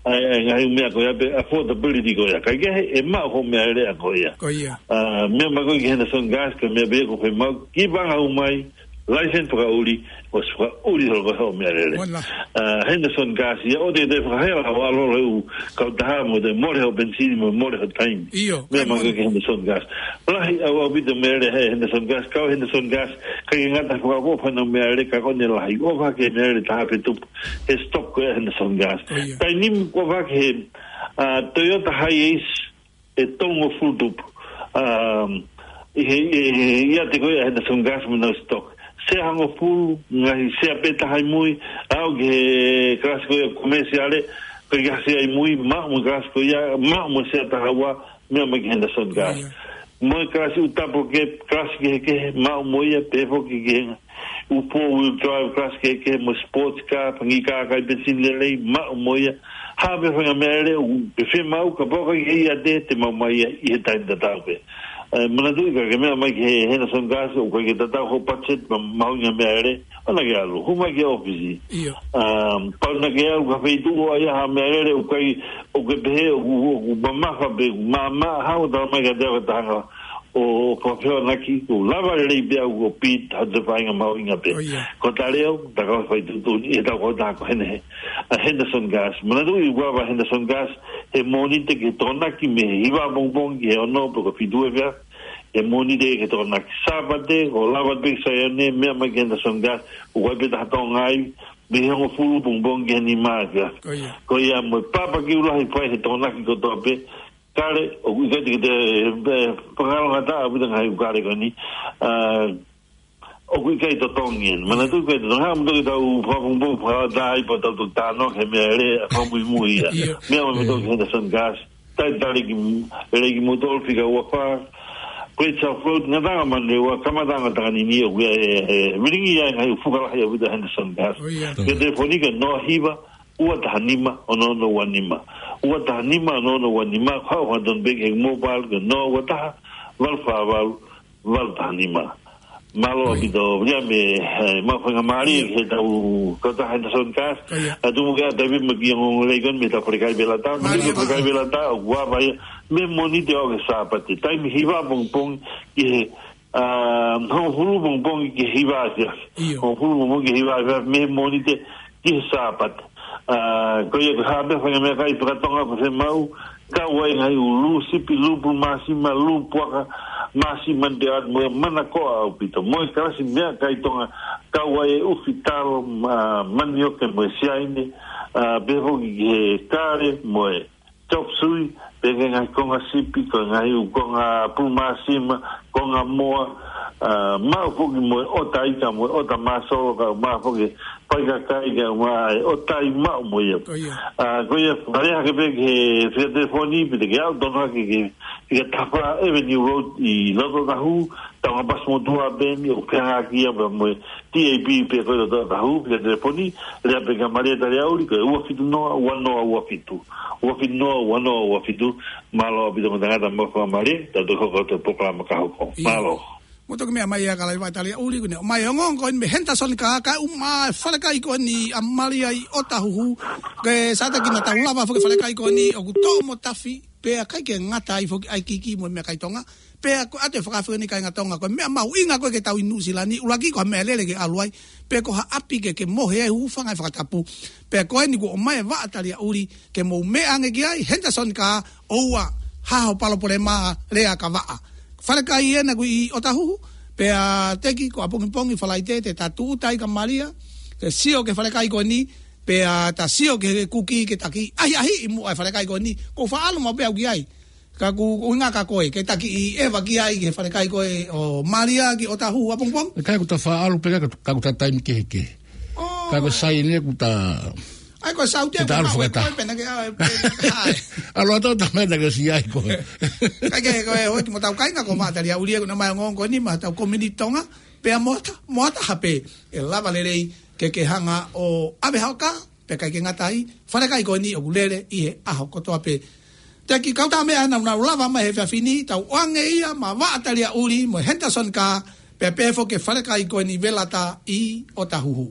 ʻa e, ʻa e ngaahi meʻa ko ia pe affordability ko ia. Kae kehe, ʻe maʻu hoʻo meʻalele ko ia. Ko ia. ʻA, meʻa mai ko ē ki Henderson Gas, ko e meʻa pē ʻoku fiemaʻu, kiʻi paʻanga hū mai, license fakaʻuli, ʻosi fakaʻuli holo ko ē hoʻo meʻalele. Mola. ʻA, Henderson Gas, ia ʻoua te te fakahela, ʻo ʻalu holo he ʻū kautaha mo te mole hoʻo penisini mo mole hoʻo taimi. ʻIo, meʻa mai ko ē ki Henderson Gas. Lahi ʻaupito meʻalele he Henderson Gas, kau Henderson Gas, ʻikai ke ngata he fakaʻofoʻofa ʻenau meʻalele ka ko ʻene lahi. ʻOfa ke meʻalele taha pē tupu he stock ko ē Henderson Gas. ʻIo. Taimi ni ʻofa ke he, ʻa, Toyota Hiace ʻe tolungofulu tupu. Um, ʻi he, ʻi he, ʻi he ʻiate ko ē Henderson Gas mo ʻenau stock. Sea hongofulu, ngaahi sea pē taha ʻi mui, aʻu ki he kalasi ko ē komēsiale, ko e ngaahi sea ʻi mui, maʻu mo e kalasi ko ia, maʻu mo e sea taha ua, meʻa mai ki Henderson Gas. ʻIo. Mo e kalasi ʻū double cab, kalasi kehekehe, maʻu mo ia, pehē foki ki he ngaahi ʻū four wheel drive, kalasi kehekehe, mo e sports car, fanga kiʻi kākā ʻi penisini lelei, maʻu mo ia. Ha meʻa fanga meʻalele ʻoku ke fiemaʻu, kapau ʻoku ʻikai ke ʻiate, te maʻu mai ia ʻi he taimi tatau pē. ʻE, manatuʻi ka ke meʻa mai ki he Henderson Gas, ʻoku ʻikai ke tatau hoʻo budget, ma-, mahuʻinga meʻalele, ʻoua naʻa ke ʻalu, hū mai ki he ʻōfisi. ʻIo. Um, pau naʻa ke ʻalu ki ha feituʻu ʻoku ʻi ai ha meʻalele ʻoku ʻikai, ʻoku ke pehē, ʻoku, ʻoku mamafa pe, ʻoku maʻamaʻa, haʻu ʻo tala mai kiate au ka ta hanga ʻo, ʻo fakafehoanaki, ʻoku lava lelei pē au ʻo bid, ha toe faʻahinga mahuʻinga pē. ʻIo. Ko e talēo, ta kau fai tuʻutuʻuni, ʻe tau kau ta ko eni he, ʻa Henderson Gas. Manatuʻi ʻoku ava Henderson Gas, he Mōnite ki he Tokonaki mei he hiva pongipongi ki he ono pe ko e fitu efiafi. He Mōnite ki he Tokonaki. Sāpate, ko e lava pē ki Saione, meʻa mai ki Henderson Gas, ʻoku ʻi ai pē taha Tonga ai, mei he hongofulu pongipongi ki he nima efiafi. Ko ia. Ko ia mo e pāpaki ʻū lahi fai he Tokonaki kotoa pē, kale, ʻoku ʻikai te, te, te, fakalongataʻa ʻaupito ngaahi ʻū kale ko eni. ʻA, ʻoku ʻikai totongi eni. Manatuʻi ʻikai totongi. Haʻu mo toki tau fakapongipongi fakataha ai pea tau toki talanoa ki he meʻalele, fakamuimui ia. ʻIo. Meʻa mai mo toki Henderson Gas. Talitali ki, lelei kimoutolu fika ua fā. Great South Road, Ngataʻanga Manurewa, kamataʻanga Takanini, ʻoku ʻi ai e, e, vilingi ia ngaahi ʻū fuka lahi ʻaupito Henderson Gas. ʻIo. Ke telefoni ki he noa hiva, ua taha nima, ono ono ua nima. Ua taha nima, ono ono ua nima, ko e hā ʻoku tonu pē ki he mobile, ki he noa ua taha, valu fā valu, valu taha nima. Mālō ʻaupito, ia mei, e, maʻu faingamālie, ʻio, ke tau, ko e tā Henderson Gas, ʻio, ʻa tumu ke ʻata pē mo e kiʻi ongoongo lelei ko eni mei he tau falekai velatā, mei he tau falekai velatā, ʻoku ava ia, mei he Mōnite ʻo aʻu ki he Sāpate, taimi hiva pongipongi, ki he, ʻa, hongofulu pongipongi ki he hiva efiafi. ʻIo. Hongofulu pongipongi ki he hiva efiafi, mei he Mōnite ki he Sāpate. ʻA, ko ia ko e hā pē faingamālie fakatonga ʻoku fiemaʻu, kau ai ngaahi ʻū lū sipi, lū pulu māsima, lū puaka, māsima ni te at mo e manakoa ʻaupito. Mo e kalasi meʻakai Tonga, kau ai e ʻufi talo, ma-, manioke mo e siaine, ʻa, pehē foki ki he kale mo e chop suey, pehē ki he ngaahi konga sipi, ko e ngaahi ʻū konga pulu māsima, konga moa, ʻa, maʻu foki mo e ʻota ika, mo e ʻota māsolo, kae ʻumaʻā foki e paikakai, kae ʻumaʻā e ʻota ʻi maʻu mo ia. Ko ia. ʻA, ko ia, fale hake pē ki he fika telefoni, pe te ke aʻu tonu hake ki he fika taha fā Avenue Road ʻi loto ʻōtahū, taunga pasi motuʻa pē eni, ʻoku fehangaʻaki ia pea mo e T A B pē ko e loto ʻōtahū, fika telefoni, lea pē kia Malia Taliaʻuli, ko e ua fitu noa, ua noa ua fitu. Ua fitu noa, ua noa ua fitu, mālō ʻaupito mo e tangata mo e faingamālie, tau toe hoko atu e polokalama ka hoko. ʻIo. Mālō. Mo toki meʻa mai ʻa Kalaivaʻa Taliaʻuli, ko ʻene ʻomai e ongoongo ko eni mei he Henderson Gas, kae ʻumaʻā e falekai ko eni ʻa Malia ʻi ʻŌtāhuhu, ke sātaki naʻa tau lava foki e falekai ko eni, ʻoku toʻo mo tafi, pea ʻikai ke ngata ai foki ʻa e kiki mo e meʻakai Tonga, pea ko e ʻatu e fakaafe ko eni kāinga Tonga, ko e meʻa mahuʻinga ko ē ke tau ʻi Nuʻusila ni, ʻuluaki ko ha meʻalele ke ʻalu ai, pe ko ha ʻapi ke, ke mohe ai, hūfanga he fakatapu. Pea ko eni kuo ʻomai e Vaʻa Taliaʻuli, ke mou meʻa ange ki ai, Henderson Gas, ʻoua, hā ho palopalema, lea ka vaʻa. falekai ena ʻoku ʻi ʻOtahuhu, pea Teki ko ʻapongipongi Falaite te ta tūʻuta ai kia Malia, ke sio ki he falekai ko eni, pea ta sio ki he kuki ke ta kiʻi ʻahiʻahiʻi muʻa e falekai ko eni, ʻoku ou faʻa ʻalu maʻu pē au ki ai. Ka ʻoku, ʻoku ou ʻuhinga kia koe, ke ta kiʻi ʻeva ki ai ki he falekai ko ē ʻo Malia ki ʻOtahuhu ʻapongipongi. ʻE ʻikai, ʻoku ta faʻa ʻalu pē ka, ka ʻoku ta taimi kehekehe. ʻŌ. Ka ko e sai eni ʻoku ta ʻAi, ko e saute ke ta ʻalu fakataha. Pena ke, ʻa, pe, ʻai. ʻAlu atu ta mena ke si ai ko ē. Kae kehe ko e hoi ki mo tau kainga ko Maʻa Taliaʻuli ʻoku na mai ongoongo ko eni maʻa tau community Tonga, pea mo ha taha, mo ha taha pē ʻe lava lelei ke ke hanga ʻo ʻave hao kā, pea ʻikai ke ngata ai, falekai ko eni ʻoku lele ʻi he ʻaho kotoa pē. Teki, kautaha meʻa naʻa nau lava mai he efiafi ni, tau ʻoange ia maʻa Vaʻa Taliaʻuli mo Henderson Kaa, pea pehē foki ki he falekai ko eni Velata ʻi ʻOtahuhu.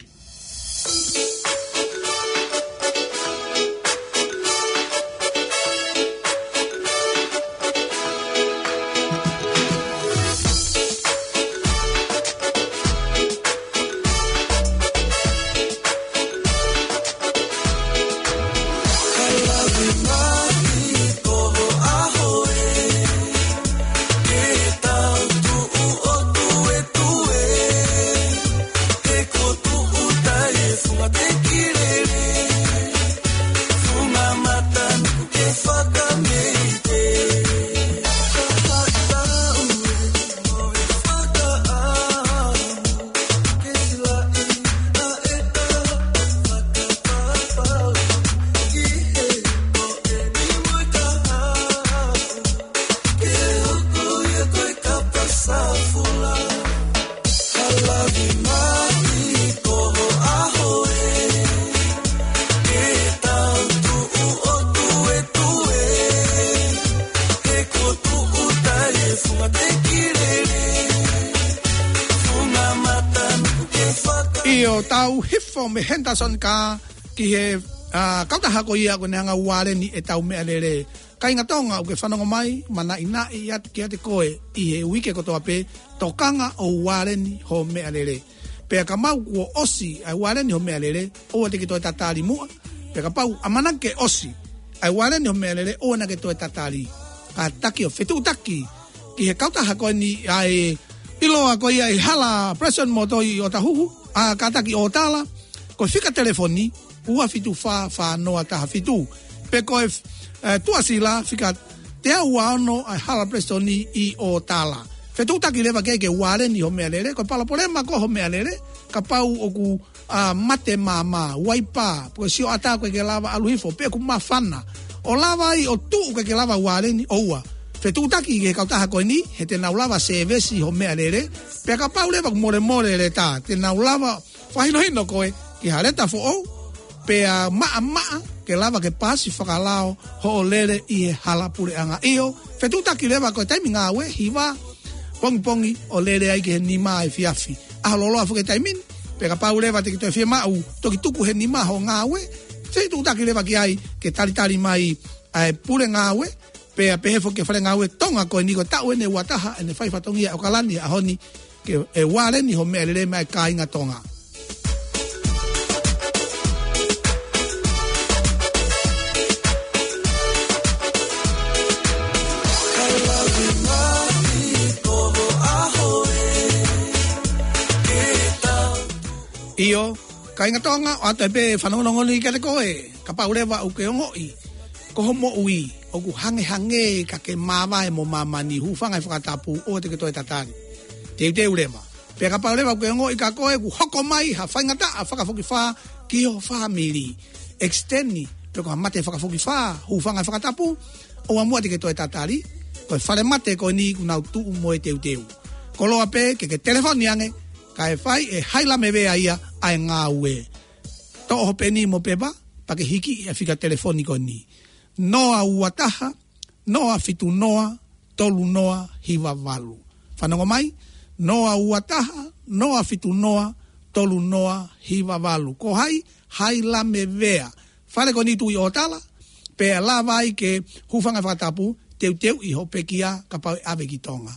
ʻIo, tau hifo mei Henderson Kaa ki he, ʻa, kautaha ko ia ʻoku ne hanga ʻo ualeni ʻetau meʻalele. Kāinga Tonga ʻoku ke fanongo mai, manaʻinaʻi atu kiate koe ʻi he uike kotoa pē, tokanga ʻo ualeni ho meʻalele. Pea kapau kuo ʻosi ʻa e ualeni ho meʻalele, ʻoua te ke toe tatali muʻa. Pea kapau ʻamanaki ke ʻosi ʻa e ualeni ho meʻalele, ʻoua naʻa ke toe tatali. Kātaki ʻo fetuʻutaki ki he kautaha ko eni ʻa e ʻiloa ko ia ʻi he hala Preston Motor ʻi ʻOtahuhu, ʻa, kātaki ʻo tala, ko e fika telefoni, ua fitu fā fā noa taha fitu. Pe ko e, ʻe, tuʻasila fika teau ua ono ʻa e hala Preston ʻi ʻOtala. Fetuʻutaki leva ke ke ualeni ho meʻalele, ko e palopalema ko ho meʻalele, kapau ʻoku, ʻa, mate māmā, uaipa, pe ko e sioʻata ʻoku ʻikai ke lava ʻalu hifo, pe ʻoku māfana. ʻO lava ai ʻo tuʻu ʻikai ke lava ualeni, ʻoua. Fetuʻutaki ki he kautaha ko eni, he te nau lava sēvesi ho meʻalele, pea kapau leva ʻoku molemole e leta, te nau lava fakahinohino koe ki ha leta foʻou, pea maʻamaʻa ke lava ke paasi fakalao hoʻo lele ʻi he hala puleʻanga. ʻIo, fetuʻutaki leva ko e taimi ngāue, hiva pongipongi ʻo lele ai ki he nima efiafi. ʻAho lōloa foki e taimi ni, pea kapau leva te ke toe fiemaʻu, toki tuku he nima hoʻo ngāue, fetuʻutaki leva ki ai ke talitali mai ʻa e pule ngāue, pea pehē foki ki he fale ngāue Tonga ko eni ko e taʻu eni ʻe ua taha ʻene fai fatongia ʻi ʻAokalani he ʻaho ni ke, ʻe ualeni ho meʻalele maʻa e kāinga Tonga. ʻIo, kāinga Tonga, ʻoatu pē fanongonongo ni kiate koe, kapau leva ʻoku ke ongoʻi ko ho moʻui ʻoku hangehangē ka ke māvae mo māmani, hūfanga he fakatapu, ʻoua te ke toe tatali. Teuteu leva. Pea kapau leva ʻoku ke ongoʻi kia koe ʻoku hoko mai ha faingataʻa fakafokifā ki ho fāmili, ekisiteni, pe ko ha mate fakafokifā, hūfanga he fakatapu, ʻoua muʻa te ke toe tatali, ko e fale mate ko eni ʻoku nau tuʻu mo e teuteu. Koloa pē ke ke telefoni ange, kae fai ʻe Haila Mevea ia ʻa e ngāue. Toʻo ho peni mo e pepa, pea ke hiki ʻa e fika telefoni ko eni. Noa ua taha, noa fitu noa, tolu noa hiva valu. Fanongo mai, noa ua taha, noa fitu noa, tolu noa hiva valu. Ko hai? Haila Mevea. Fale ko eni tuʻu ʻi ʻOtala, pea lava ai ke hūfanga he fakatapu, teuteuʻi ho pekia kapau ʻe ʻave ki Tonga.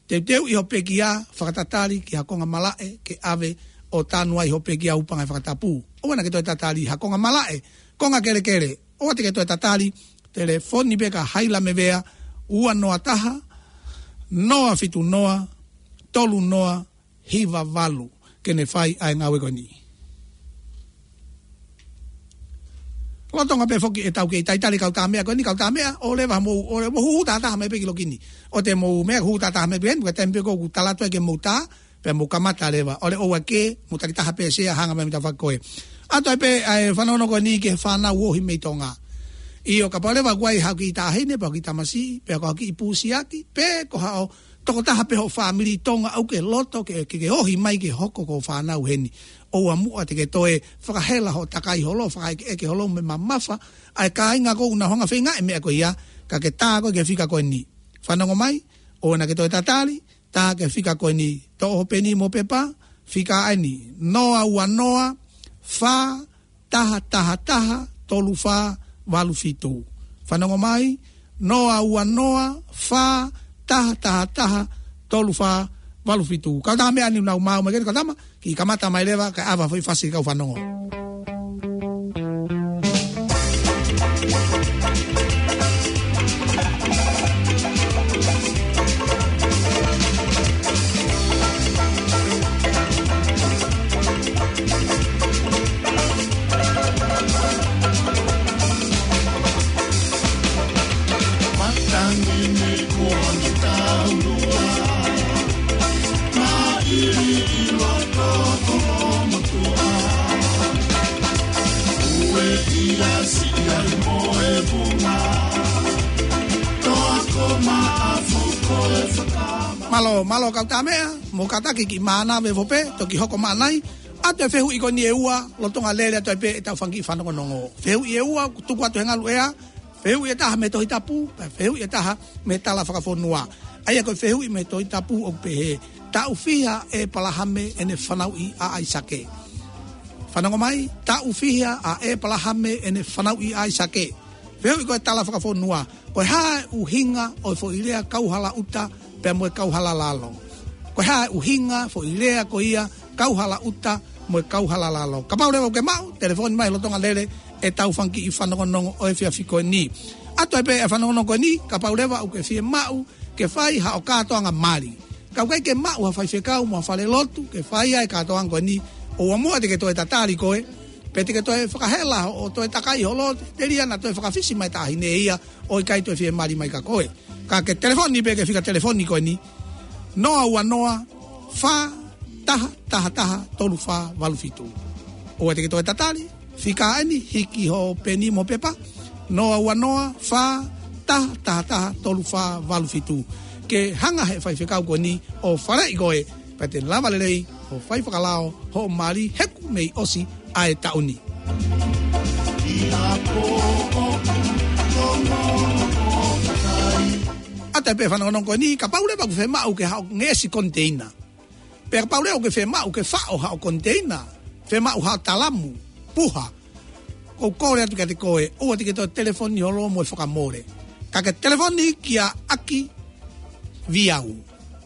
Teuteuʻi ho pekia, fakatatali ki ha konga malaʻe ke ʻave ʻo tanu ai ho pekia, hūfanga he fakatapu. ʻOua naʻa ke toe tatali ha konga malaʻe, konga kelekele, ʻoua te ke toe tatali, telefoni pē kia Haila Mevea, ua noa taha, noa fitu noa, tolu noa, hiva valu, ke ne fai ʻa e ngāue ko eni. Lolotonga pē foki ʻetau kei talitali e kau tāmeʻa ko eni, kau tāmeʻa, ʻoua leva mou, ʻoua leva mou hū tātaha mai pē ki loki ni. ʻOua te mou meʻa hū tātaha mai pē eni, ka taimi pē ko ʻeku talateu ke mou tā, pea mou kamata leva. ʻOua leva ʻoua ke mou tali taha pē sea hanga mai mita fakakoe. ʻA toe pē ʻa e fanongonongo ko eni ki he fānau ohi mei Tonga. ʻIo, kapau leva ʻoku ʻi ai haʻo kiʻi taʻahine, pe haʻo kiʻi tamasiʻi, pe ko haʻo kiʻi pusiaki, pe ko haʻo tokotaha pē hoʻo fāmili Tonga ʻoku ke loto ke, ke, ke ohi mai ke hoko ko e fānau heni. ʻOua muʻa te ke toe fakahela hoʻo takai holo, fakaʻekeʻeke holo mo e mamafa ʻa e kāinga ʻoku nau hanga ʻo feinga e meʻa ko ia, ka ke tā koe ki he fika ko eni. Fanongo mai, ʻoua naʻa ke toe tatali, tā ki he fika ko eni. Toʻo hoʻo peni mo e pepa, fika ʻeni, noa ua noa, fā, taha taha taha, tolu fā valu fitu. Fanongo mai, noa ua noa, fā, taha taha taha, tolu fā valu fitu. Kau tāmeʻa ni nau maʻu mai ke kau tama, kiʻi kamata mai leva, kae ʻave ha foʻi fasi kau fanongo. Mālō, mālō kau tāmeʻa, mou kātaki kiʻi mānava ʻo pē, toki hoko mai ʻanai, ʻa e fehuʻi ko eni ʻe ua, lolotonga lele atu ai pē ʻetau fanga kiʻi fanongonongo. Fehuʻi ʻe ua, tuku atu he ngaluʻea, fehuʻi ʻe taha mei he Tohi Tapu, pea fehuʻi ʻe taha mei he tala fakafonua. ʻA ia ko e fehuʻi mei he Tohi Tapu ʻoku pehē, taʻu fiha ʻe ʻĒpalahame ʻene fanauʻi ʻa ʻAisake. Fanongo mai, taʻu fiha ʻa ʻĒpalahame ʻene fanauʻi ʻa ʻAisake. Fehuʻi ko e tala fakafonua, ko e hā e ʻuhinga ʻo e foʻi lea kauhalaʻuta pea mo e kauhalalalo. Ko e hā e ʻuhinga foʻi lea ko ia kauhalaʻuta mo e kauhalalalo. Kapau leva ʻoku ke maʻu, telefoni mai lolotonga lele ʻetau fanga kiʻi fanongonongo ʻo e efiafi ko eni. ʻA toe pē e fanongonongo ko eni, kapau leva ʻoku ke fiemaʻu ke fai haʻo kātoanga mali. Ka ʻoku ʻikai ke maʻu ha faifekau mo ha falelotu ke fai ʻa e kātoanga ko eni, ʻoua muʻa te ke toe tatali koe, pe te ke toe fakahela hoʻo toe takai holo, telia naʻa toe fakafisi mai e taʻahine ia ʻo ʻikai toe fiemali mai kia koe. Ka ke telefoni pē ki he fika telefoni ko eni, noa ua noa, fā taha taha taha, tolu fā valu fitu. ʻOua te ke toe tatali, fika ʻeni, hiki hoʻo peni mo e pepa, noa ua noa, fā taha taha taha, tolu fā valu fitu. Ke hanga he faifekau ko eni ʻo faleʻi koe, pea te lava lelei ʻo fai fakalao hoʻo mali he kuo mei ʻosi ʻa e taʻu ni. ʻA toe pē e fanongonongo ko eni, kapau leva ʻoku ke fiemaʻu ke haʻo ngeʻesi koniteina. Pea kapau leva ʻoku ke fiemaʻu ke faʻo haʻo koniteina, fiemaʻu haʻo talamu, puha, ʻoku ou kole atu kiate koe, ʻoua te ke toe telefoni holo mo e fakamole. Ka ke telefoni kia ʻAki Viau.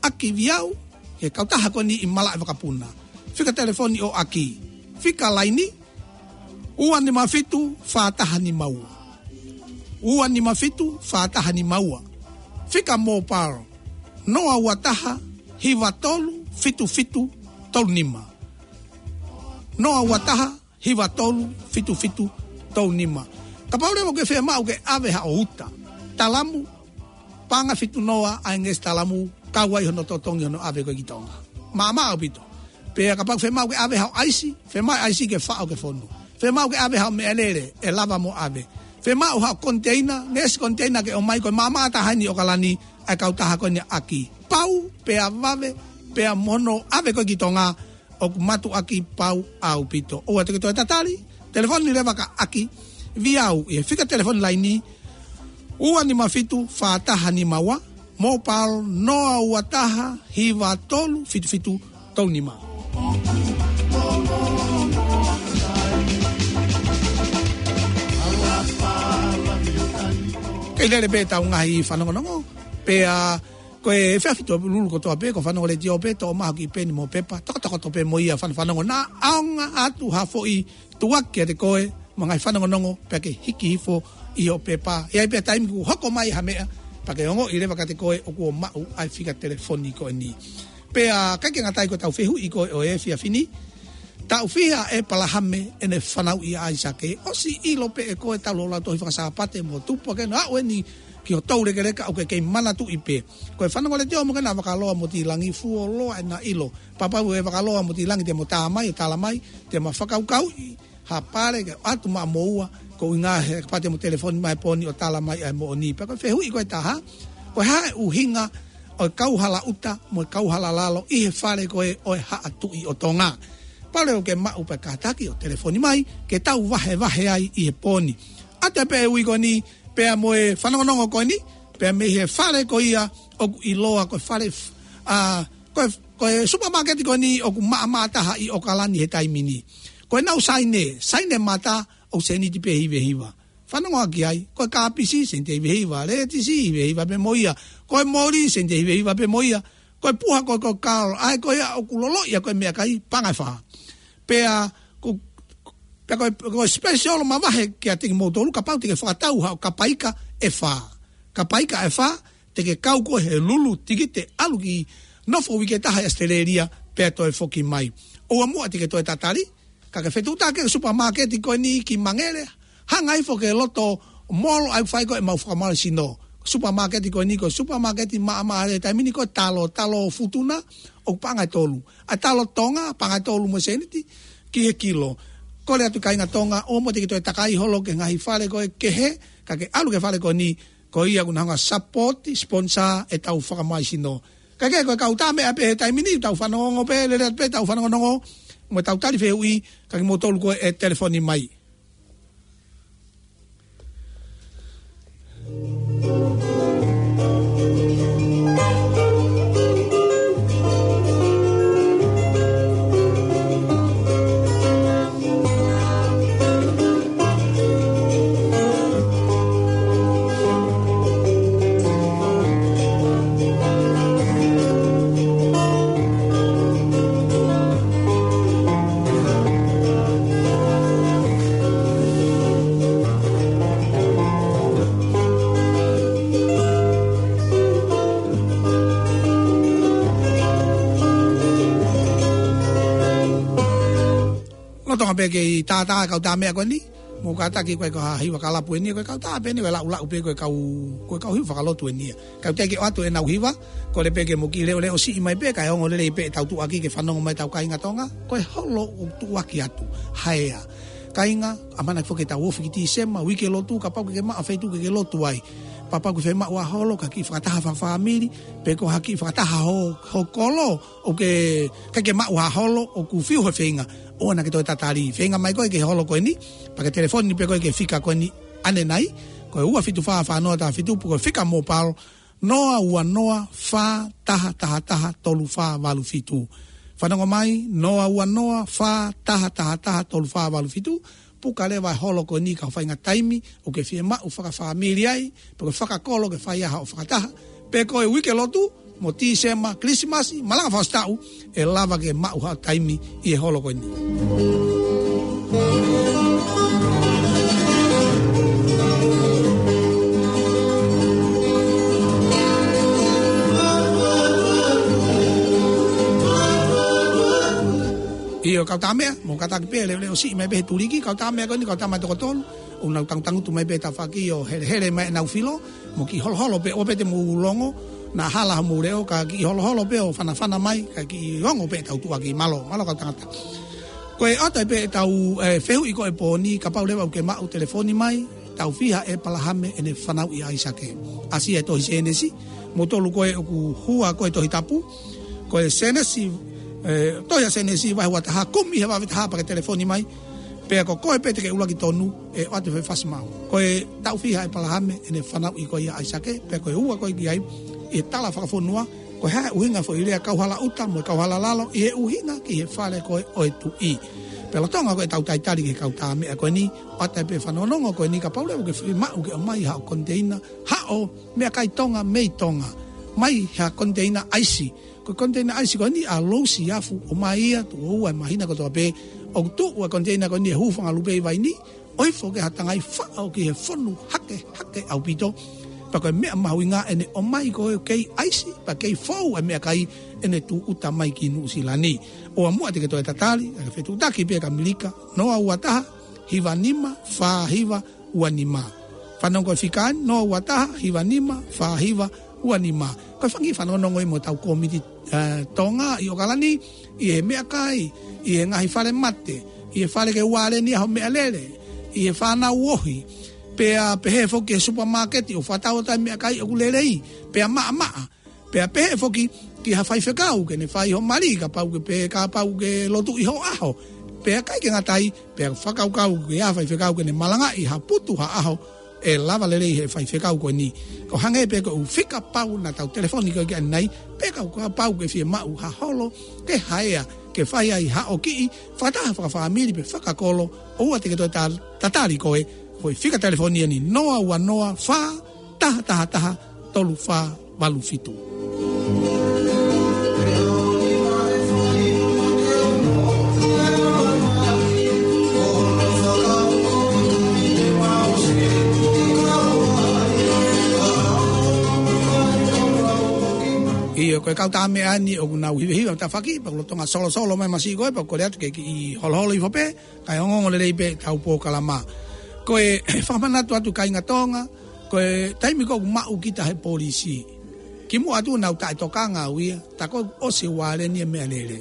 ʻAki Viau, he kautaha ko eni ʻi Malaʻevakapuna. Fika telefoni ʻo ʻAki. Fika laini, ua nima fitu, fā taha nima ua. Ua nima fitu, fā taha nima ua. Fika mobile, noa ua taha, hiva tolu, fitu fitu, tolu nima. Noa ua taha, hiva tolu, fitu fitu, tolu nima. Kapau leva ʻoku ke fiemaʻu ke ʻave haʻo uta, talamu, paʻanga fitu noa ʻa e ngeʻesi talamu, kau ai hono totongi hono ʻave ko ē ki Tonga. Maʻamaʻa ʻaupito. Pea kapau fiemaʻu ke ʻave haʻo ʻaisi, fiemaʻu ʻaisi ke faʻo ke fonu. Fiemaʻu ke ʻave haʻo meʻalele, ʻe lava mo ʻave. Fiemaʻu haʻo koniteina, ngeʻesi koniteina ke ʻomai, ko e maʻamaʻa taha ʻeni ʻi ʻAokalani, ʻa e kautaha ko eni ʻa ʻAki. Pau, pea vave, pea mo hono ʻave ko ē ki Tonga, ʻoku mātuʻaki pau ʻaupito. ʻOua te ke toe tatali, telefoni leva kia ʻAki Viau ʻi he fika telefoni laini, ua nima fitu, fā taha nima ua, mobile noa ua taha, hiva tolu, fitu fitu, tolu nima. Kei lele pē ʻetau ngaahi fanongonongo, pea ko e efiafi Tuʻapululu kotoa pē, ko e fanongo letiō pē, toʻo mai hoʻo kiʻi peni mo e pepa, tokotokoto pē mo ia fanafanongo naʻa ʻaonga atu ha foʻi tuʻaki kiate koe, mo e ngaahi fanongonongo, pea ke hiki hifo ʻi hoʻo pepa. ʻE ʻi ai pē taimi kuo hoko mai ha meʻa, Pea ke ongoʻi leva kiate koe ʻoku maʻu ʻa e fika telefoni ko eni. Pea ʻikai ke ngata ai ko ʻetau fehuʻi ko ē ʻo e efiafi ni. Taʻu fiha ʻa ʻĒpalahame ʻene fanauʻi ʻa ʻAisake? ʻOsi ʻilo pē ʻe koe talu hoʻo lau tohi faka-Sāpate mo tupu hake ʻo aʻu eni ki hoʻo toulekeleka ʻoku ke kei manatuʻi pē. Ko e fanongo letiō mo kena vakaloa mo tilangi fuoloa ʻena ʻilo. Pea kapau ʻe vakaloa mo tilangi te mo tā mai, ʻo tala mai, te ma fakakaukauʻi ha pale ke ʻoatu maʻa moua, ko e ʻuhinga he kapau te mo telefoni mai he pō ni ʻo tala mai ʻa e moʻoni. Pea ko e fehuʻi ko e taha, ko e hā e ʻuhinga ʻo e kauhala ʻuta mo e kauhala lalo ʻi he fale ko ē ʻo e Haʻa Tuʻi ʻo Tonga? Pau leva ke maʻu pea kātaki ʻo telefoni mai, ke tau vahevahe ai ʻi he pō ni. ʻAtā pē e ui ko eni, pea mo e fanongonongo ko eni, pea mei he fale ko ia ʻoku ʻiloa ko e fale f-, ʻa, ko e, ko e supermarket ko eni ʻoku maʻamaʻa taha ʻi ʻOkalani he taimi ni. Ko ʻenau saine, saine mata ʻoku sēniti pē hivahiva. Fanongo ki ai, ko e kāpisi, sēniti hivahiva, lētisi, hivahiva pē mo ia, ko e moli, sēniti hivahiva pē mo ia, ko e puha, ko e, ko e kalo, ʻa ē ko ia ʻoku loloʻi ʻa ko e meʻakai, paʻanga ʻe fā. Pea, ko, pea ko e, ko e special mavahe kiate kimoutolu, kapau te ke fakatau haʻo kapaika ʻe fā. Kapaika ʻe fā, te ke kau koe he lulu tikite ʻalu ki nofo uike ʻe taha ʻi ʻAositelēlia, pea toe foki mai. ʻOua muʻa te ke toe tatali, ka ke fetuʻutaki ki he supermarket ko eni ki Mangere, hanga hifo ki he loto mall ʻa ia ʻoku fai ko ē ʻemau fakamālohisino. Supermarket ko eni ko e supermarket maʻamaʻa he taimi ni, ko e talo, talo Futuna, ʻoku paʻanga ʻe tolu. ʻA e talo Tonga, paʻanga ʻe tolu mo e sēniti ki he kilo. Kole atu kāinga Tonga, ʻoua muʻa te ke toe takai holo ki he ngaahi fale ko ē kehe, ka ke ʻalu ki he fale ko eni, ko ia ʻoku na hanga ʻo support, sponsor ʻetau fakamālohisino. Kae kehe, ko e kau tā meʻa pē he taimi ni, tau fanongo pē, lele pē, tau fanongonongo, mo tau tali fehuʻi, ka kimoutolu ko ē ʻe telefoni mai. Lolotonga pē kei tātā e kau tā meʻa ko eni, mou kātaki, ko e kau hiva kalapu eni, ko e kau tā pē eni, ko e laʻulaʻu pē, ko e kau, ko e kau hiva fakalotu eni ia. Kau teʻeki ke ʻoatu ʻenau hiva, kole pē ke mo kiʻi leʻoleʻo siʻi mai pē, kae ongo lelei pē ʻetau tuʻuaki ke fanongo mai ʻetau kāinga Tonga, ko e holo ʻoku tuʻuaki atu, haea. Kāinga, ʻamanaki foki ke tau ofi ki Tīsema, uike lotu, kapau ʻoku ke maʻu ha feituʻu ke ke lotu ai. Kapau ʻoku ke fiemaʻu ha holo, ka ke kiʻi fakataha fakafāmili, pe ko ha kiʻi fakataha ho, ho kolo, ʻoku ke, ʻikai ke maʻu ha holo, ʻoku fiu he feinga, ʻoua naʻa ke toe tatali. Feinga mai koe ki he holo ko eni, pea ke telefoni pē koe ki he fika ko eni ʻanenai, ko e ua fitu fā fā noa taha fitu, pe ko e fika mobile, noa ua noa fā taha taha taha tolu fā valu fitu. Fanongo mai, noa ua noa fā taha taha taha tolu fā valu fitu, puka leva e holo ko eni ki he faʻahinga taimi ʻoku ke fiemaʻu fakafāmili ai, pe ko e fakakolo ke fai ai haʻo fakataha, pe ko e uike lotu, mo Tīsema, Kilisimasi, malanga fakaʻosi taʻu, ʻe lava ke maʻu haʻo taimi ʻi he holo ko eni. ʻIo, kau tā meʻa, mou kātaki pē, leʻoleʻo siʻi mai pē he tuliki, kau tā meʻa ko eni, kau tā meʻa toko tolu, ʻoku nau tangutangutu mai pē he tafaʻaki ʻo helehele mai ʻenau filo, mo kiʻi holoholo pē, ʻoua pē te mou longo, naʻa hala homou leʻo, ka kiʻi holoholo pē ʻo fanafana mai, ka kiʻi ongo pē ʻetau tuʻuaki. Mālō, mālō kau tangata. Ko e ʻoatu ai pē ʻetau, ē, fehuʻi ko ē he pō ni, kapau leva ʻoku ke maʻu, telefoni mai, taʻu fiha ʻa ʻĒpalahame ʻene fanauʻi ʻa ʻAisake? Asia e tohi Sēnesi, moutolu ko ē ʻoku hua ko ē Tohi Tapu, ko e Sēnesi, ē, tohi ʻa Sēnesi vahe ua taha, kumi he vahe taha pea ke telefoni mai, pea ko koe pē te ke ʻuluaki tonu, ʻe ʻoatu e fasi maʻu. Ko e taʻu fiha ʻa ʻĒpalahame ʻene fanauʻi ko ia ʻa ʻAisake, pea ko e ua ko ē ki ai, ʻi he tala fakafonua, ko e hā e ʻuhinga e foʻi lea kauhala ʻuta mo e kauhala lalo, ʻi he ʻuhinga ki he fale ko ē ʻo e tuʻi. Pea lolotonga ko ē ʻetau talitali ki he kau tā meʻa ko eni, ʻoatu ai pē e fanongonongo ko eni, kapau leva ʻoku ke fiemaʻu ke ʻomai haʻo koniteina, haʻo meʻakai Tonga mei Tonga, mai ha koniteina ʻaisi. Ko e koniteina ʻaisi ko eni ʻa Louis Afu, ʻomai ia tuʻo ua e māhina kotoa pē, ʻoku tuʻu e koniteina ko eni he Hūfanga Lupe ʻi Vainī, ʻo hifo ki ha tangai faʻo ki he fonu hakehake ʻaupito. Pea ko e meʻa mahuʻinga ʻene ʻomai ko ē ʻo kei ʻaisi, pea kei fou ʻa e meʻakai ʻene tūʻuta mai ki Nuʻusila ni. ʻOua muʻa te ke toe tatali, ʻa e fetuʻutaki pē ʻa Kamelika, noa ua taha, hiva nima, fā hiva, ua nima. Fanongo ko e fika ʻeni, noa ua taha, hiva nima, fā hiva, ua nima. Ko e fanga kiʻi fanongonongo ia mo ʻetau kōmiti, eh, Tonga ʻi ʻOkalani, ʻi he meʻakai, ʻi he ngaahi fale mate, ʻi he fale ke ualeni ai ho meʻalele, ʻi he fānau ohi, pea pehē foki ki he supermarket, ʻo fakatau atu e meʻakai ʻoku lelei, pea maʻamaʻa, pea pehē foki ki ha faifekau ke ne fai ho mali, kapau ke pehē kapau ke lotu ʻi ho ʻaho. Pea ʻikai ke ngata ai, pea fakakaukau ke ʻi ai ha faifekau ke ne malangaʻi ha putu ha ʻaho, ʻe lava lelei he faifekau ko eni. Ko e hangē pē ko e ʻū fika pau naʻa tau telefoni ko ē ki ai ʻanenai, pea kapau ke fiemaʻu ha holo ke haea, ke fai ai haʻo kiʻi fakataha fakafāmili pe fakakolo, ʻoua te ke toe ta-, tatali koe. Ko e fika telefoni ʻeni, noa ua noa fā taha taha taha tolu fā valu fitu. ʻIo, ko e kau tā meʻa ʻeni ʻoku nau hivehiva tafaʻaki, pea ʻoku lolotonga solosolo mai masiʻi ko ē, pea ʻoku kole atu ke kiʻi holoholo hifo pē, kae ongoongo lelei pē ʻetau polokalama. Ko e fakamanatu atu kāinga Tonga, ko e taimi ko ē ʻoku maʻu kita he polisi, kimuʻa atu naʻa ku taʻetokanga au ia, tā ko ē ʻosi e ualeni e meʻalele.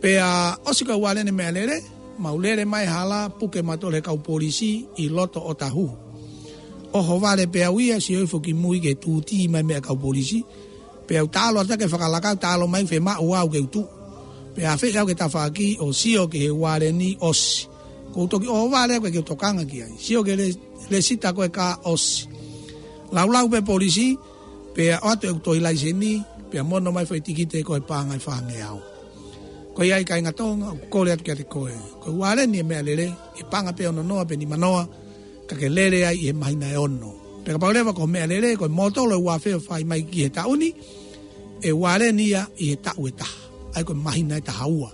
Pea ʻosi ko ē ualeni e meʻalele, mau lele mai hala, puke mautolu he kau polisi ʻi loto ʻo Tahu. ʻOhovale pē au ia, sio hifo ki mui ke tūtī mai meʻa kau polisi, pea u taʻalo atu ke fakalaka, taʻalo mai fiemaʻu au ke u tuʻu. Pea afeʻi au ki he tafaʻaki ʻo sio ki he ualeni ʻosi. Ko u toki ʻohovale au ke u tokanga ki ai. Sio ki he le-, lēsita ko ē kā ʻosi. Laulau pē polisi, pea ʻoatu ʻeku tohi laiseni, pea mono mai foʻi tikite ko e paʻanga ʻe fāngeau. Ko ia ai kāinga Tonga, ʻoku kole atu kiate koe. Ko e ualeni e meʻalele, ʻe paʻanga pē ono noa pe nima noa, ka ke lele ai ʻi he māhina ʻe ono. Pea kapau leva ko e meʻalele, ko e mōtolo ʻe ua afe ʻoku fai mai ki he taʻu ni, ʻe ualeni ia ʻi he taʻu ʻe taha. ʻA ia ko e māhina ʻe taha ua.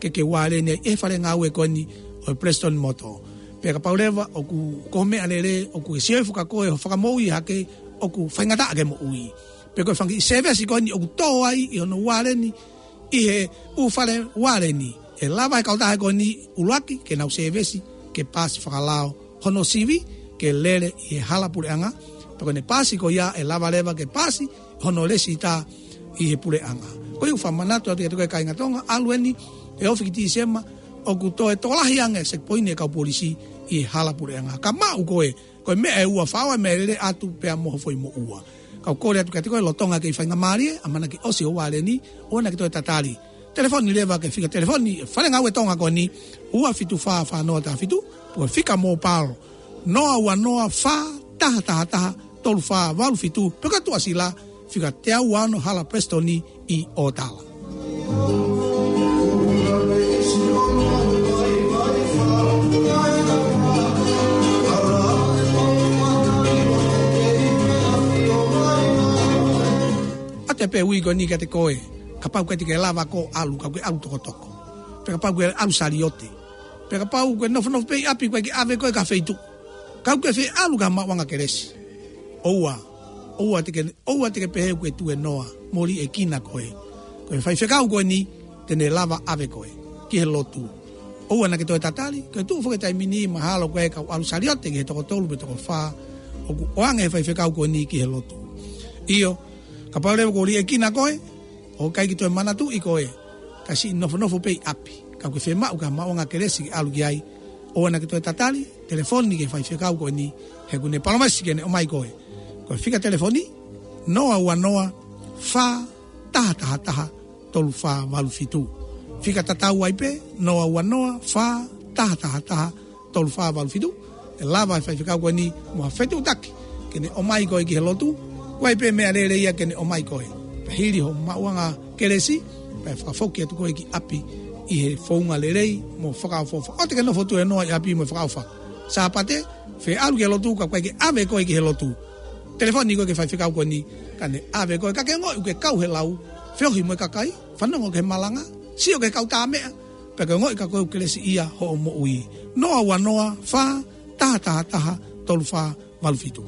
Ke ke ualeni ai ʻi he fale ngāue ko eni ʻo e Prestone Motor. Pea kapau leva ʻoku ko e meʻalele, ʻoku ke sio hifo ka ko e ho fakamoʻui hake ʻoku faingataʻa ke moʻui. Pea ko e fanga kiʻi sēvesi ko eni ʻoku tō ai ʻi hono ualeni, ʻi he ʻū fale ualeni. ʻE lava he kautaha ko eni ʻuluaki ke nau sēvesi, ke pasi fakalao hono sivi, ke lele ʻi he hala puleʻanga. Pea ko ʻene pasi ko ia ʻe lava leva ke pasi hono lēsita ʻi he puleʻanga. Ko ia ʻoku fakamanatu atu kiate koe kāinga Tonga, ʻalu eni he ofi ki Tīsema, ʻoku toe tokolahi ange e checkpoint e kau polisi ʻi he hala puleʻanga. Ka maʻu koe, ko e meʻa ʻe ua, fai e meʻalele atu pea mo ho foʻi moʻua. Ka u kole atu kiate koe lolotonga ke faingamālie, ʻamanaki ʻosi ho ualeni, ʻoua naʻa ke toe tatali. Telefoni leva ki he fika telefoni e fale ngāue Tonga ko eni, ua fitu fā fā noa taha fitu, pe ko e fika mobile, noa ua noa fā taha taha taha tolu fā valu fitu, pe ko e tuʻasila, fika teau ua ono hala Prestone ʻi ʻOtala. ʻA e pē ui ko eni kiate koe, kapau ʻoku ʻikai te ke lava koe ʻalu, ka ʻoku ke ʻalu tokotoko. Pe kapau ʻoku ke ʻalu saliote. Pe kapau ʻoku ke nofonofo pē ʻi ʻapi, ʻoku ʻikai ke ʻave koe ki ha feituʻu. Ka ʻoku ke fie ʻalu ki ha maʻuʻanga kelesi. ʻOua, ʻoua te ke, ʻoua te ke pehē ʻoku ke tuēnoa mo liʻekina koe. Ko e faifekau ko eni te ne lava ʻave koe ki he lotu. ʻOua naʻa ke toe tatali, ko e tuʻu foki he taimi ni mahalo ko e kau ʻalu saliote ki he toko tolu pe toko fā, ʻoku ʻoange he faifekau ko eni ki he lotu. ʻIo, kapau leva ʻoku ke liʻekina koe, ʻoku ʻikai ke toe manatuʻi koe, ka siʻi nofonofo pē ʻi ʻapi. Ka ʻoku ke fiemaʻu ki ha maʻuʻanga kelesi ke ʻalu ki ai, ʻoua naʻa ke toe tatali, telefoni ki he faifekau ko eni, he ʻoku ne palōmesi ke ne ʻomai koe. Ko e fika telefoni, noa ua noa fā taha taha taha tolu fā valu fitu. Fika tatau ai pē, noa ua noa fā taha taha taha tolu fā valu fitu. ʻE lava e faifekau ko eni mo ha fetuʻutaki ke ne ʻomai koe ki he lotu, ʻoku ʻi ai pē meʻalele ia ke ne ʻomai koe. Pea hili hoʻo maʻuʻanga kelesi, pea fakafoki atu koe ki ʻapi ʻi he founga lelei mo fakaʻofoʻofa. ʻOua te ke nofo tuēnoa ʻi ʻapi mo fakaʻofa. Sāpate, fie ʻalu ki he lotu ka ʻoku ʻikai ke ʻave koe ki he lotu. Telefoni koe ki he faifekau ko eni, ka ne ʻave koe, ka ke ongoʻi ʻoku ke kau he lau, feohi mo e kakai, fanongo ki he malanga, sio ki he kau tā meʻa, pea ke ongoʻi ka ko e kelesiʻia hoʻo moʻui. Noa ua noa fā taha taha taha tolu fā valu fitu.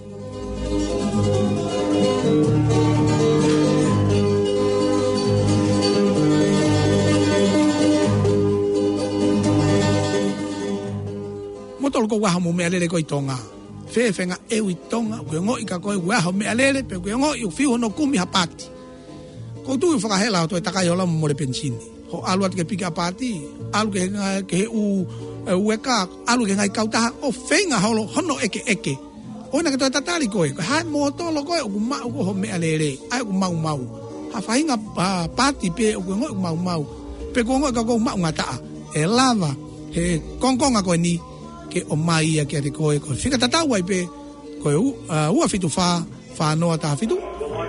Mo tolu ko ʻaho mo meʻalele ko ē ʻi Tonga. Fēfē ngā ʻeu ʻi Tonga, ʻoku ke ongoʻi ka ko e ʻaho meʻalele, pe ʻoku ke ongoʻi ʻoku fiu hono kumi ha paati. Ko u tui ʻoku fakahela ʻo toe takai hoʻo lama mole penisini. Hoʻo ʻalu atu ki he piki ʻa paati, ʻalu ki he ngā-, ki he ʻū, ʻe, ueka, ʻalu ki he ngaahi kautaha, ʻo feinga holo hono ʻekeʻeke. ʻOua naʻa ke toe tatali koe, ko e hā e mōtolo ko ē ʻoku maʻu ko ē hoʻo meʻalele, ʻa ē ʻoku maumau. Ha faʻahinga, ʻa, paati pē ʻoku ke ongoʻi ʻoku maumau. Pe ʻoku ke ongoʻi ka ʻoku maʻungataʻa. ʻE lava, he kongokonga ko eni, ke ʻomai ia kiate koe, ko e fika tatau ai pē, ko e u-, ʻa, ua fitu fā, fā noa taha fitu,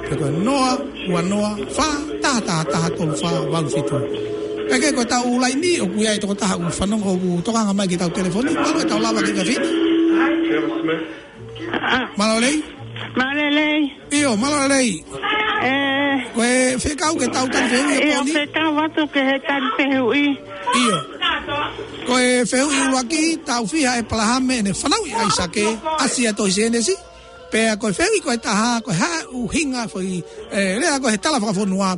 pe ko e noa, ua noa, fā, taha taha taha, tolu fā, valu fitu. Kae kehe ko ʻetau laini, ʻoku ʻi ai e tokotaha ʻoku fanongo ʻoku tokanga mai ki heʻetau telefoni, mālō e tau lava ki he efiafi ni. Mālō e lelei. Mālō e lelei. ʻIo, mālō e lelei. ʻE. Ko e fekau ki heʻetau tali fehuʻi ʻa e ʻIo, pō ni? Fekau atu ki he tali fehuʻi. ʻIo. Ko e fehuʻi ʻuluaki, taʻu fiha ʻa ʻĒpalahame ʻene fanauʻi ʻa ʻAisake, ʻasi ʻa e tohi Sēnesi. Pea ko e fehuʻi ko ē ʻe taha, ko e hā e ʻuhinga foʻi, ʻe, lea ko ē he tala fakafonua,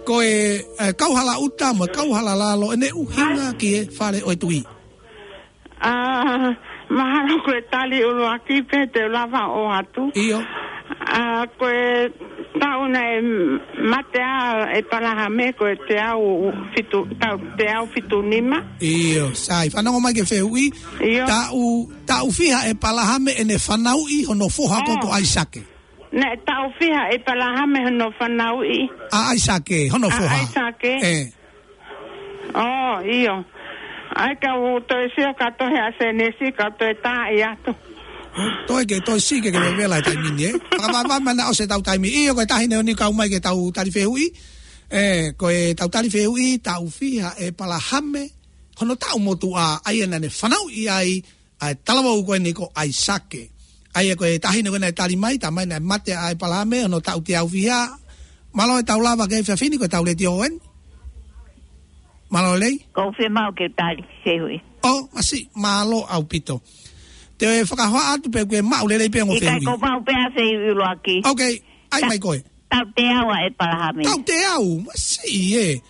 ko e, ʻe, kauhala ʻuta mo e kauhala lalo, ʻene ʻuhinga ki he fale ʻo e tuʻi. ʻA, mahalo ko e tali ʻuluaki pē te u lava ʻo ʻoatu. ʻIo. ʻA, ko e taʻu naʻe mate ai ʻa ʻĒpalahame ko e teau fitu, taʻu teau fitu nima. ʻIo, sai. Fanongo mai ki he fehuʻi. ʻIo. Taʻu, taʻu fiha ʻa ʻĒpalahame ʻene fanauʻi hono foha ko ē ʻo ʻAisake. Naʻe taʻu fiha ʻa ʻĒpalahame hono fanauʻi. ʻA ʻAisake, hono foha. ʻA ʻAisake. ʻE. ʻŌ, ʻio. ʻAi ka u toe sio ki he tohi ʻa Sēnesi, ka u toe tā atu. Toe ke, toe sio ke ke vevela he taimi ni, ē? Fakavavevave mai naʻa ʻosi ʻetau taimi. ʻIo, ko e taha eni ʻoku kau mai ki heʻetau tali fehuʻi. ʻE, ko ʻetau tali fehuʻi, taʻu fiha ʻa ʻĒpalahame hono taʻu motuʻa, ʻa ia naʻa ne fanauʻi ai ʻa e talavou ko eni ko ʻAisake. ʻA ia ko e taʻahine ko ē naʻe tali mai, talamai naʻe mate ʻa ʻĒpalahame hono taʻu teau fiha. Mālō e tau lava ki he efiafi ni, ko ʻetau letiō eni. Mālō e lelei. Ko u fiemaʻu ke tali fehuʻi. ʻŌ, masiʻi, mālō ʻaupito. Te u fakahoa atu pē ʻoku ke maʻu lelei pē ongo fehuʻi. ʻIkai, ko u maʻu pē ʻa e fehuʻi ʻuluaki. Ok, ʻai mai koe. Taʻu teau ʻa ʻĒpalahame. Taʻu teau, masiʻi ē.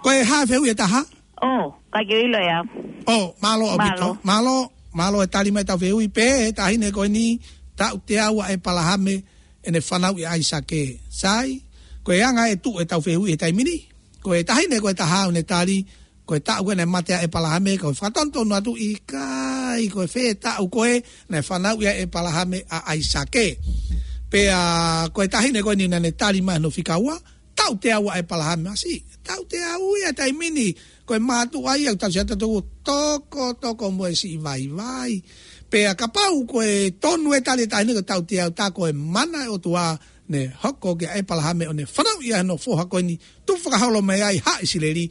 Ko e hā e fehuʻi ʻe taha? ʻŌ, ʻikai ke u ʻilo ia. ʻŌ, mālō ʻaupito. Mālō. Mālō, mālō e tali mai ʻetau fehuʻi pē, he taʻahine ko eni, taʻu teau ʻa ʻĒpalahame ʻene fanauʻi ʻa ʻAisake. Sai, ko e anga e tuʻu ʻetau fehuʻi he taimi ni. Ko e taʻahine ko ē ʻe taha ʻoku ne tali, ko e taʻu ko ē naʻe mate ai ʻa ʻĒpalahame, ko e fakatonutonu atu ʻikai, ko e fē taʻu ko ē naʻe fanauʻi ai ʻa ʻĒpalahame ʻa ʻAisake. Pea ko e taʻahine ko eni naʻa ne tali mai hono fika ua, taʻu teau ʻa ʻĒpalahame, masiʻi, taʻu teau ia he taimi ni, ko e mātuʻa ia, tau sia tau toko, toko mo e siʻi vaivai. Pea kapau ko e tonu e tali ʻa e taʻahine ko e taʻu teau, tā ko e mana ʻa e ʻOtua, ne hoko kia ʻĒpalahame ʻo ne fanauʻi ai hono foha ko eni, tuku fakaholo mai ai ʻa ʻIsileli,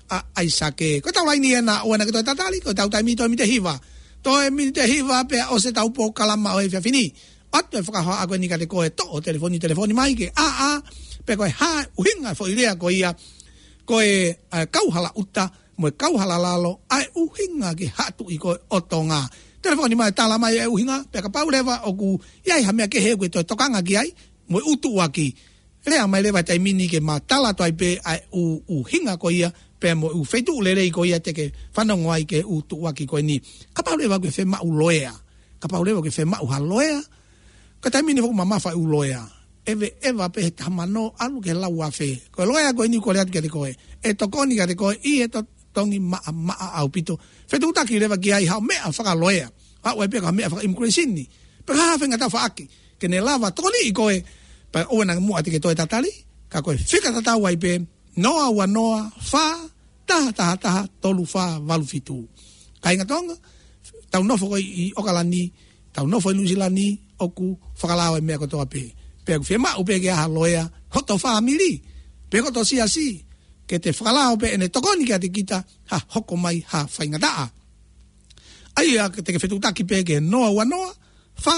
ʻa ʻAisake. Ko ʻetau laini ena, ʻoua naʻa ke toe tatali, ko ʻetau taimi toe miniti ʻe hiva. Toe miniti ʻe hiva pea ʻosi ʻetau polokalama ʻo e efiafi ni. ʻOatu e fakahohaʻa ko eni kiate koe, toʻo telefoni, telefoni mai ke ʻā, ʻā, pe ko e hā e ʻuhinga foʻi lea ko ia, ko e, ʻa e kauhala ʻuta, mo e kauhala lalo, ʻa e ʻuhinga ki he haʻa tuʻi ko ē ʻo Tonga. Telefoni mai, tala mai e ʻuhinga, pea kapau leva ʻoku ʻi ai ha meʻa kehe ʻoku ke toe tokanga ki ai, mo e ʻū tuʻuaki. Lea mai leva he taimi ni ke ma tala atu ai pē ʻa e ʻū, ʻuhinga ko ia, pea mo e ʻū feituʻu lelei ko ia te ke fanongo ai ki he ʻū tuʻuaki ko eni. Kapau leva ʻoku ke fiemaʻu loea. Kapau leva ʻoku ke fiemaʻu ha loea. Ko e taimi ni ʻoku mamafa e ʻū loea. ʻEve, ʻeva pē he taha mano ʻalu ki he lau afe. Ko e loea ko eni ʻoku ou lea atu kiate koe. ʻE tokoni kiate koe ʻi he to-, tongi maʻamaʻa ʻaupito. Fetuʻutaki leva ki ai haʻo meʻa fakaloea. Haʻu ai pē ka meʻa faka-immigration ni. Pe ko e hā e faʻahinga tafaʻaki ke ne lava tokoniʻi koe, pea ʻoua naʻa muʻa te ke toe tatali, ka ko e fika tatau ai pē, noa ua noa, fā, taha taha taha, tolu fā valu fitu. Kāinga Tonga, tau nofo ko ē ʻi ʻOkalani, tau nofo ʻi Nuʻusila ni, ʻoku fakalao e meʻa kotoa pē. Pea ʻoku fiemaʻu pē ke ʻi ai ha loea, hoto fāmili, pe hoto siasi, ke te fakalao pē ʻene tokoni kiate kita, ha hoko mai ha faingataʻa. ʻA ia te ke fetuʻutaki pē ki he noa ua noa, fā,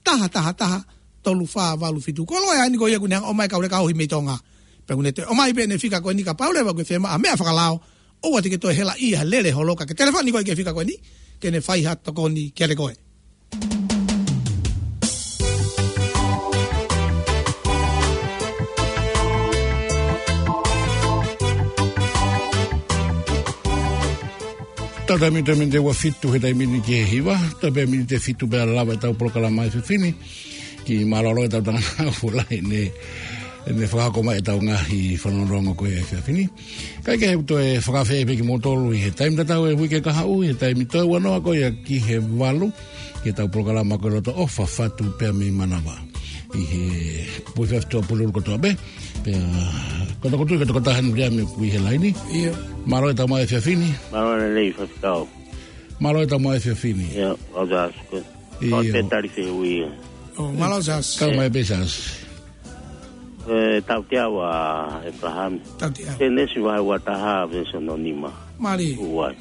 taha taha taha, tolu fā valu fitu. Ko e loea eni ko ia ʻoku ne hanga ʻo ʻomai e kau leka ohi mei Tonga. Pea ʻoku ne toe ʻomai pē ʻene fika ko eni kapau leva ʻoku ke fiemaʻu ha meʻa fakalao, ʻoua te ke toe helaʻia, lele holo ka ke telefoni koe ki he fika ko eni, ke ne fai ha tokoni kiate koe. Tau taimi, taimi te ua fitu he taimi ni ki he hiva, tau pē miniti ʻe fitu pea lava ʻetau polokalama efiafi ni. Kiʻi mālōlō ʻetau tangata ʻoku lahi ne, ne fakahoko mai ʻetau ngaahi fanongonongo ko ē efiafi ni. Kae kehe, toe fakaafeʻi pē kimoutolu ʻi he taimi tatau ʻo e uike kahaʻu, ʻi he taimi toe ua noa ko ia ki he valu, ki heʻetau polokalama ko e Loto ʻOfa, Fatu pea mei Manava. ʻI he pui feftua Pulelulu kotoa pē, pea ko e tokotaha eni ia ʻoku ʻi he laini. ʻIo. Mālō ʻetau maʻu efiafi ni. Mālō lelei, Faifekau. Mālō ʻetau maʻu efiafi ni. ʻIo, ʻo Siaosi. ʻIo. Kau pē tali fehuʻi. ʻO, mālō Siaosi. Kau mai pē Siaosi. ʻE, tautea ua ʻEpalahame. Tautea. Sēnesi vahe ua taha veesi hono nima. Mālie. Uai.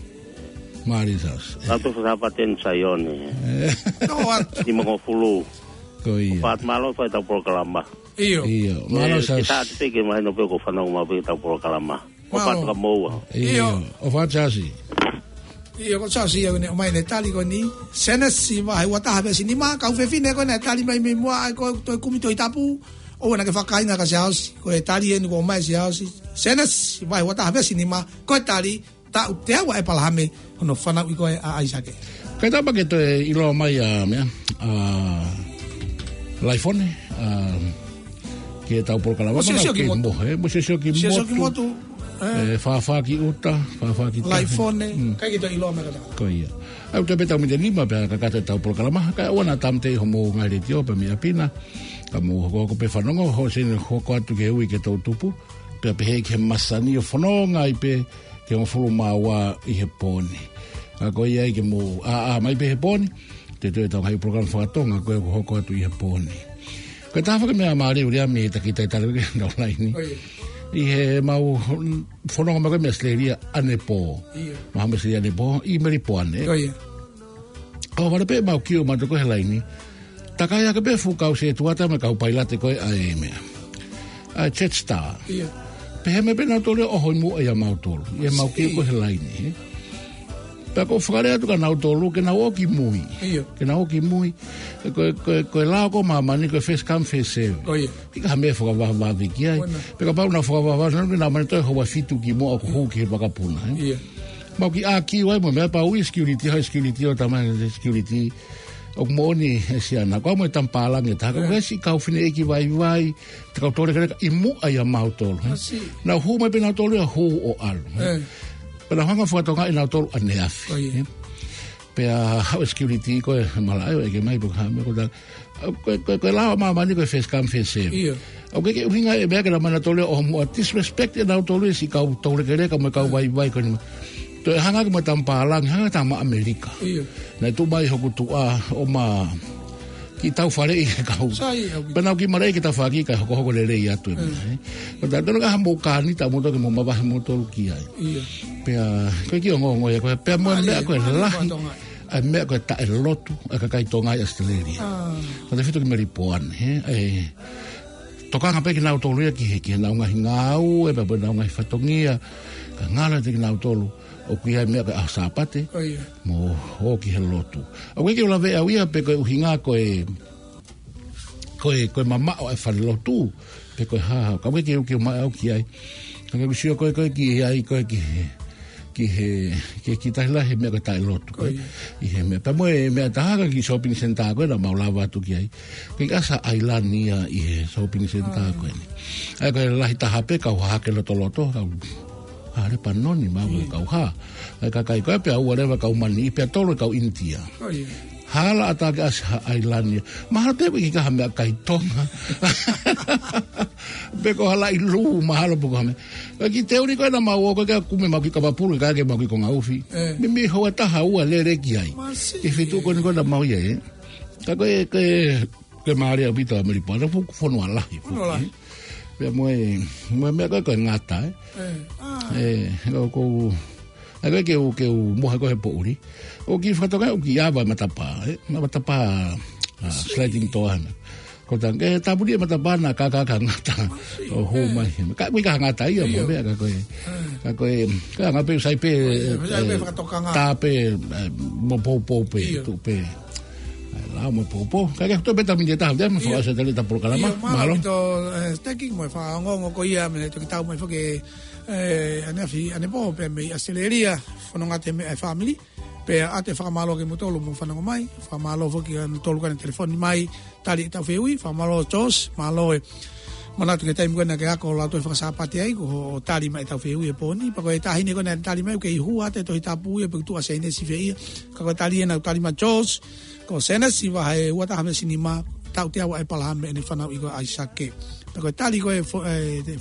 Mālie Siaosi. Tau tofu Sāpate ni Saione. ʻE. Nima ngofulu. Ko ia. Fakamālō fai ʻetau polokalama. ʻIo. ʻIo. Mālō Siaosi. Ke tātu pē ke mahino pē ʻoku fanongo mai pē ʻetau polokalama. ʻO Mālō. Fatu ka moua. ʻIo. ʻIo. ʻO Fatu Siaosi. ʻIo, ko Siaosi ia ʻoku ne ʻomai ʻene tali ko eni. Sēnesi vahe ua taha veesi nima, kau fefine ko ē naʻe tali mai mei muʻa, ʻa ia ko e toe kumi Tohi Tapu. ʻOua naʻa ke fakakainga kia Siaosi. Ko e tali eni kuo ʻomai ʻe Siaosi. Sēnesi vahe ua taha veesi nima, ko e tali, tautea ua ʻEpalahame, hono fanauʻi ko ē ʻa ʻAisake. Kae tapa ke toe ʻiloa mai ʻa meʻa, ʻa Laifone, ʻa, ki heʻetau polokalama. Mo Siosio Kimotu. Mo Siosio Kimotu. Siosio Kimotu, ʻe. ʻE, Fafaki ʻUta, Fafaki Tahi. Laifone, mm. Kae ke toe ʻiloa mai kātoa. Ko ia. ʻOku toe pē taimi ʻe nima pea kakato ʻetau polokalama, kae ʻoua naʻa tāmateʻi hoʻomou ngaahi letiō pē mei ʻapi na, ka mou hokohoko pē fanongo, hoʻo sio hoko atu ki he ui ki he toʻutupu, pea pehē ki he masani ʻo fononga ai pē ki he hongofulu mā ua ʻi he pō ni. Ka ko ia ai ke mou ʻā, ʻā mai pē he pō ni, te tau ʻetau ngaahi polokalama fakatonga ko ē ʻoku hoko atu ʻi he pō ni. Ko e taha foki e meʻa mālie ʻoku lea mei he taki talitali ki heʻenau laini. ʻIo. ʻI heʻemau fononga mai ko ē mei ʻAositelēlia ʻanepō. ʻIo. Mahalo mei ʻAositelēlia ʻanepō, ʻi Melipoane. ʻIo. ʻOhovale pē ʻemau kiu ʻo mautolu ko ē he laini. Takai hake pē fuʻu kau sētuata mo e kau pailate ko ē ʻa e meʻa, ʻa e Jetstar. ʻIo. Pehē mai pē nautolu ia ʻo ʻoho ʻi muʻa ʻia mautolu. ʻIa mau kiu ko ē he laini, ē. Pea ʻoku ou fakalea atu kia nautolu, ke nau ō ki mui. ʻIo. Ke nau ō ki mui. Ko e, ko e, ko e lao ko ē ʻa māmani ko e first come, first serve. ʻIo. ʻIkai ha meʻa fakavavevave ki ai. Pea kapau naʻa fakavavevave, naʻa mani toe houa fitu ki muʻa ʻoku hū ki he vakapuna, ē. ʻIo. Mau kiʻi ʻākiu ai mo e meʻa pea ui e security, ha security ʻo talamai ʻe he security, ʻoku moʻoni ʻe Siana, ko au mo e tama pālangi ʻe taha, ko e siʻi kau fineʻeiki vaivai, te kau toulekeleka ʻi muʻa ʻia mautolu, ē. Nau hū mai pē nautolu ia hū ʻo ʻalu, ē. Pea nau hanga ʻo fakatokangaʻi nautolu ʻaneafi, ē. Pea haʻu e security ko ē malaʻe ʻo ʻeke mai pe ko e hā e meʻa ko ē. Ko e, ko e, ko e lao ʻa māmani ko e first come, first serve. ʻIo. ʻOku ʻikai ke ʻuhinga e meʻa ke nau ō mai nautolu ia ʻo muʻa disrespect ʻe nautolu ia e siʻi kau toulekeleka mo e kau vaivai ko eni. Toe hanga hake mo e tama pālangi, hanga tama ʻAmelika. ʻIo. Naʻe tuʻu mai hoku tuʻa ʻo ma kiʻi tau faleʻi e kau. Sai, ʻoku. Pea nau kiʻi malaʻia ki tafaʻaki kae hokohoko lelei atu e meʻa, ē. Ko tautolu ka ha mou kānita moutolu ke mou mavahe moutolu ki ai. ʻIo. Pea, ko e kiʻi ongoongo ia ko ē, pea mo e meʻa ko e lahi. ʻA e meʻa ko e taʻelotu ʻa e kakai Tonga ʻi ʻAositelēlia. Ko e tautefito ki Melipoane, ē. Tokanga pē kinautolu ia ki he, ki heʻenau ngaahi ngāue, pea mo ʻenau ngaahi fatongia. Ka ngalo atu kinautolu ʻoku ʻi ai e meʻa ko e ʻaho Sāpate, mo ō ki he lotu. ʻOku ʻikai ke u lave au ia pe ko e ʻuhinga ko e, ko e, ko e mamaʻo e falelotu, pe ko e hā, ka ʻoku ʻikai ke u, ke u maʻu au ki ai. Ka ke u sio ko ē, ko ē ki ai, ko ē ki he, ki he, ki he kiʻi tahi lahi he meʻa ko e taʻelotu, ko ē. ʻI he meʻa, pea mo e meʻa ʻe taha ko e kiʻi shopping centre ko ē naʻa mau lava atu ki ai. Ko e ʻasi ʻa ʻAilani ia ʻi he shopping centre ko eni. ʻA ia ko e lahi taha pē kau hahake lotoloto, kau hā Lepanoni mo e kau hā. ʻA ia kakai ko ē pea ua leva kau Mani, pea tolu e kau ʻInitia. Hala ʻatā ke ʻasi ha ʻAilani ia. Mahalo te u ʻi ka ha meʻakai Tonga. Pe ko ha laʻi lū, mahalo pe ko ha meʻa. Ka kiʻi teuli ko ē naʻa mau ō ko ē ke kumi mau kiʻi kapa pulu, kae ʻai ke mau kiʻi konga ufi. Mei, mei houa taha ua lele ki ai. Ki he feituʻu ko eni ko ē naʻa mau ʻi ai, ē. Ka ko e, ko e, ko e mālie ʻaupito ʻa Melipoane, fuʻu fonua lahi. Fonua lahi. Pea mo e, mo e meʻa ko ē ko e ngata, ē. ʻE, ʻoku ou, ʻa ia ko ē ke u, ke u mohe ko ē he poʻuli. ʻOku kiʻi fakatokangaʻi ʻoku kiʻi ava e matapā, ē. Matapā, ʻa, sliding door ʻana. Ko e taha, ke tāpuni e matapā naʻa kākā ka ngata ʻo hū mai. Ka ʻoku ʻikai ha ngata ia mo e meʻa ka ko e. Ka ko e, ka ngata pē sai pē, tā pē, ē, mo poupou pē, tuʻu pē. ʻAi, lao mo poupou. Ka ke hoto pē taimi ʻe taha, te ma fakaʻosi atu ʻetau polokalama. Mālō. Mālō. Thank you mo e fakaongoongo ko ia, mene toki tau mai foki ʻaneafi ʻanepō pē mei ʻAositelēlia, fononga atu he meʻa ʻa e fāmili. Pea ʻoatu e fakamālō kimoutolu hoʻomou fanongo mai, fakamālō foki ʻa kimoutolu ko ena telefoni mai, tali ʻetau fehuʻi, fakamālō George, mālō e manatu ki he taimi ko ena ke ako ʻo lau e fakasāpate ai, ko hoʻo tali mai ʻetau fehuʻi he pō ni, pea ko e taʻahine ko ena naʻe tali mai, ʻoku kei hū atu e Tohi Tapu ia, pea ʻoku tuʻu ʻa Sēnesi fē ia, ka ko e tali ena naʻe tali mai George, ko Sēnesi vahe ua taha veesi nima, tautea ʻa ʻĒpalahame mo ʻene fanauʻi ko ʻAisake. Pea ko e tali ko e fo-, e, te-,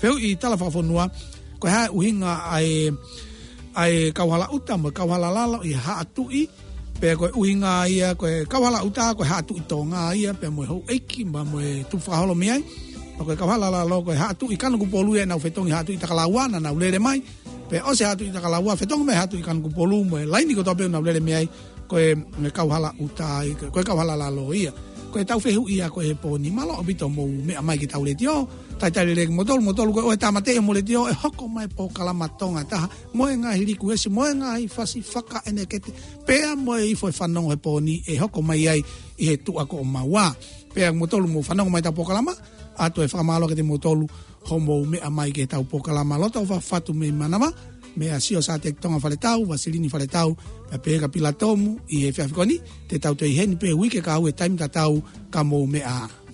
fehuʻi tala fakafonua, ko e hā e ʻuhinga ʻa e, ʻa e kauhala ʻuta mo e kauhala lalo ʻi he haʻa tuʻi, pea ko e ʻuhinga ia, ko e kauhala ʻuta, ko e haʻa tuʻi Tonga ia, pea mo e houʻeiki, pea mo e tupu fakaholo mei ai. Pea ko e kauhala lalo, ko e haʻa tuʻi Kanokupolu ia, ʻenau fetongi haʻa tuʻi Takalaua, naʻa nau lele mai. Pea ʻosi e haʻa tuʻi Takalaua, fetongi mai haʻa tuʻi Kanokupolu, mo e laini kotoa pē ʻoku nau lele mei ai, ko e, mo e kauhala ʻuta ia, ko e kauhala lalo ia. Ko ʻetau fehuʻi ia ko ē he pō ni, mālō ʻaupito hoʻomou meʻa mai ki heʻetau letiō, talitali lelei kimoutolu, moutolu ko ē ʻoku tāmateʻi hoʻomou letiō, ʻe hoko mai e polokalama Tonga ʻe Taha, mo e ngaahi likuesi, mo e ngaahi fasi fakaʻenekete, pea mo e ifo e fanongo he pō ni ʻe hoko mai ai ʻi he tuʻa ko ʻomaua. Pea moutolu ʻoku mou fanongo mai heʻetau polokalama, ʻoatu e fakamālō kiate kimoutolu hoʻomou meʻa mai ki heʻetau polokalama. Loto ʻofa atu mei Manava, meia Siosiate Tonga Faletau, Vasilini Faletau, pea Peheka Pilatomu, ʻi he efiafi ko eni, te tau toe ʻi heni pē uike kahaʻu he taimi tatau, ka mou meʻa ā.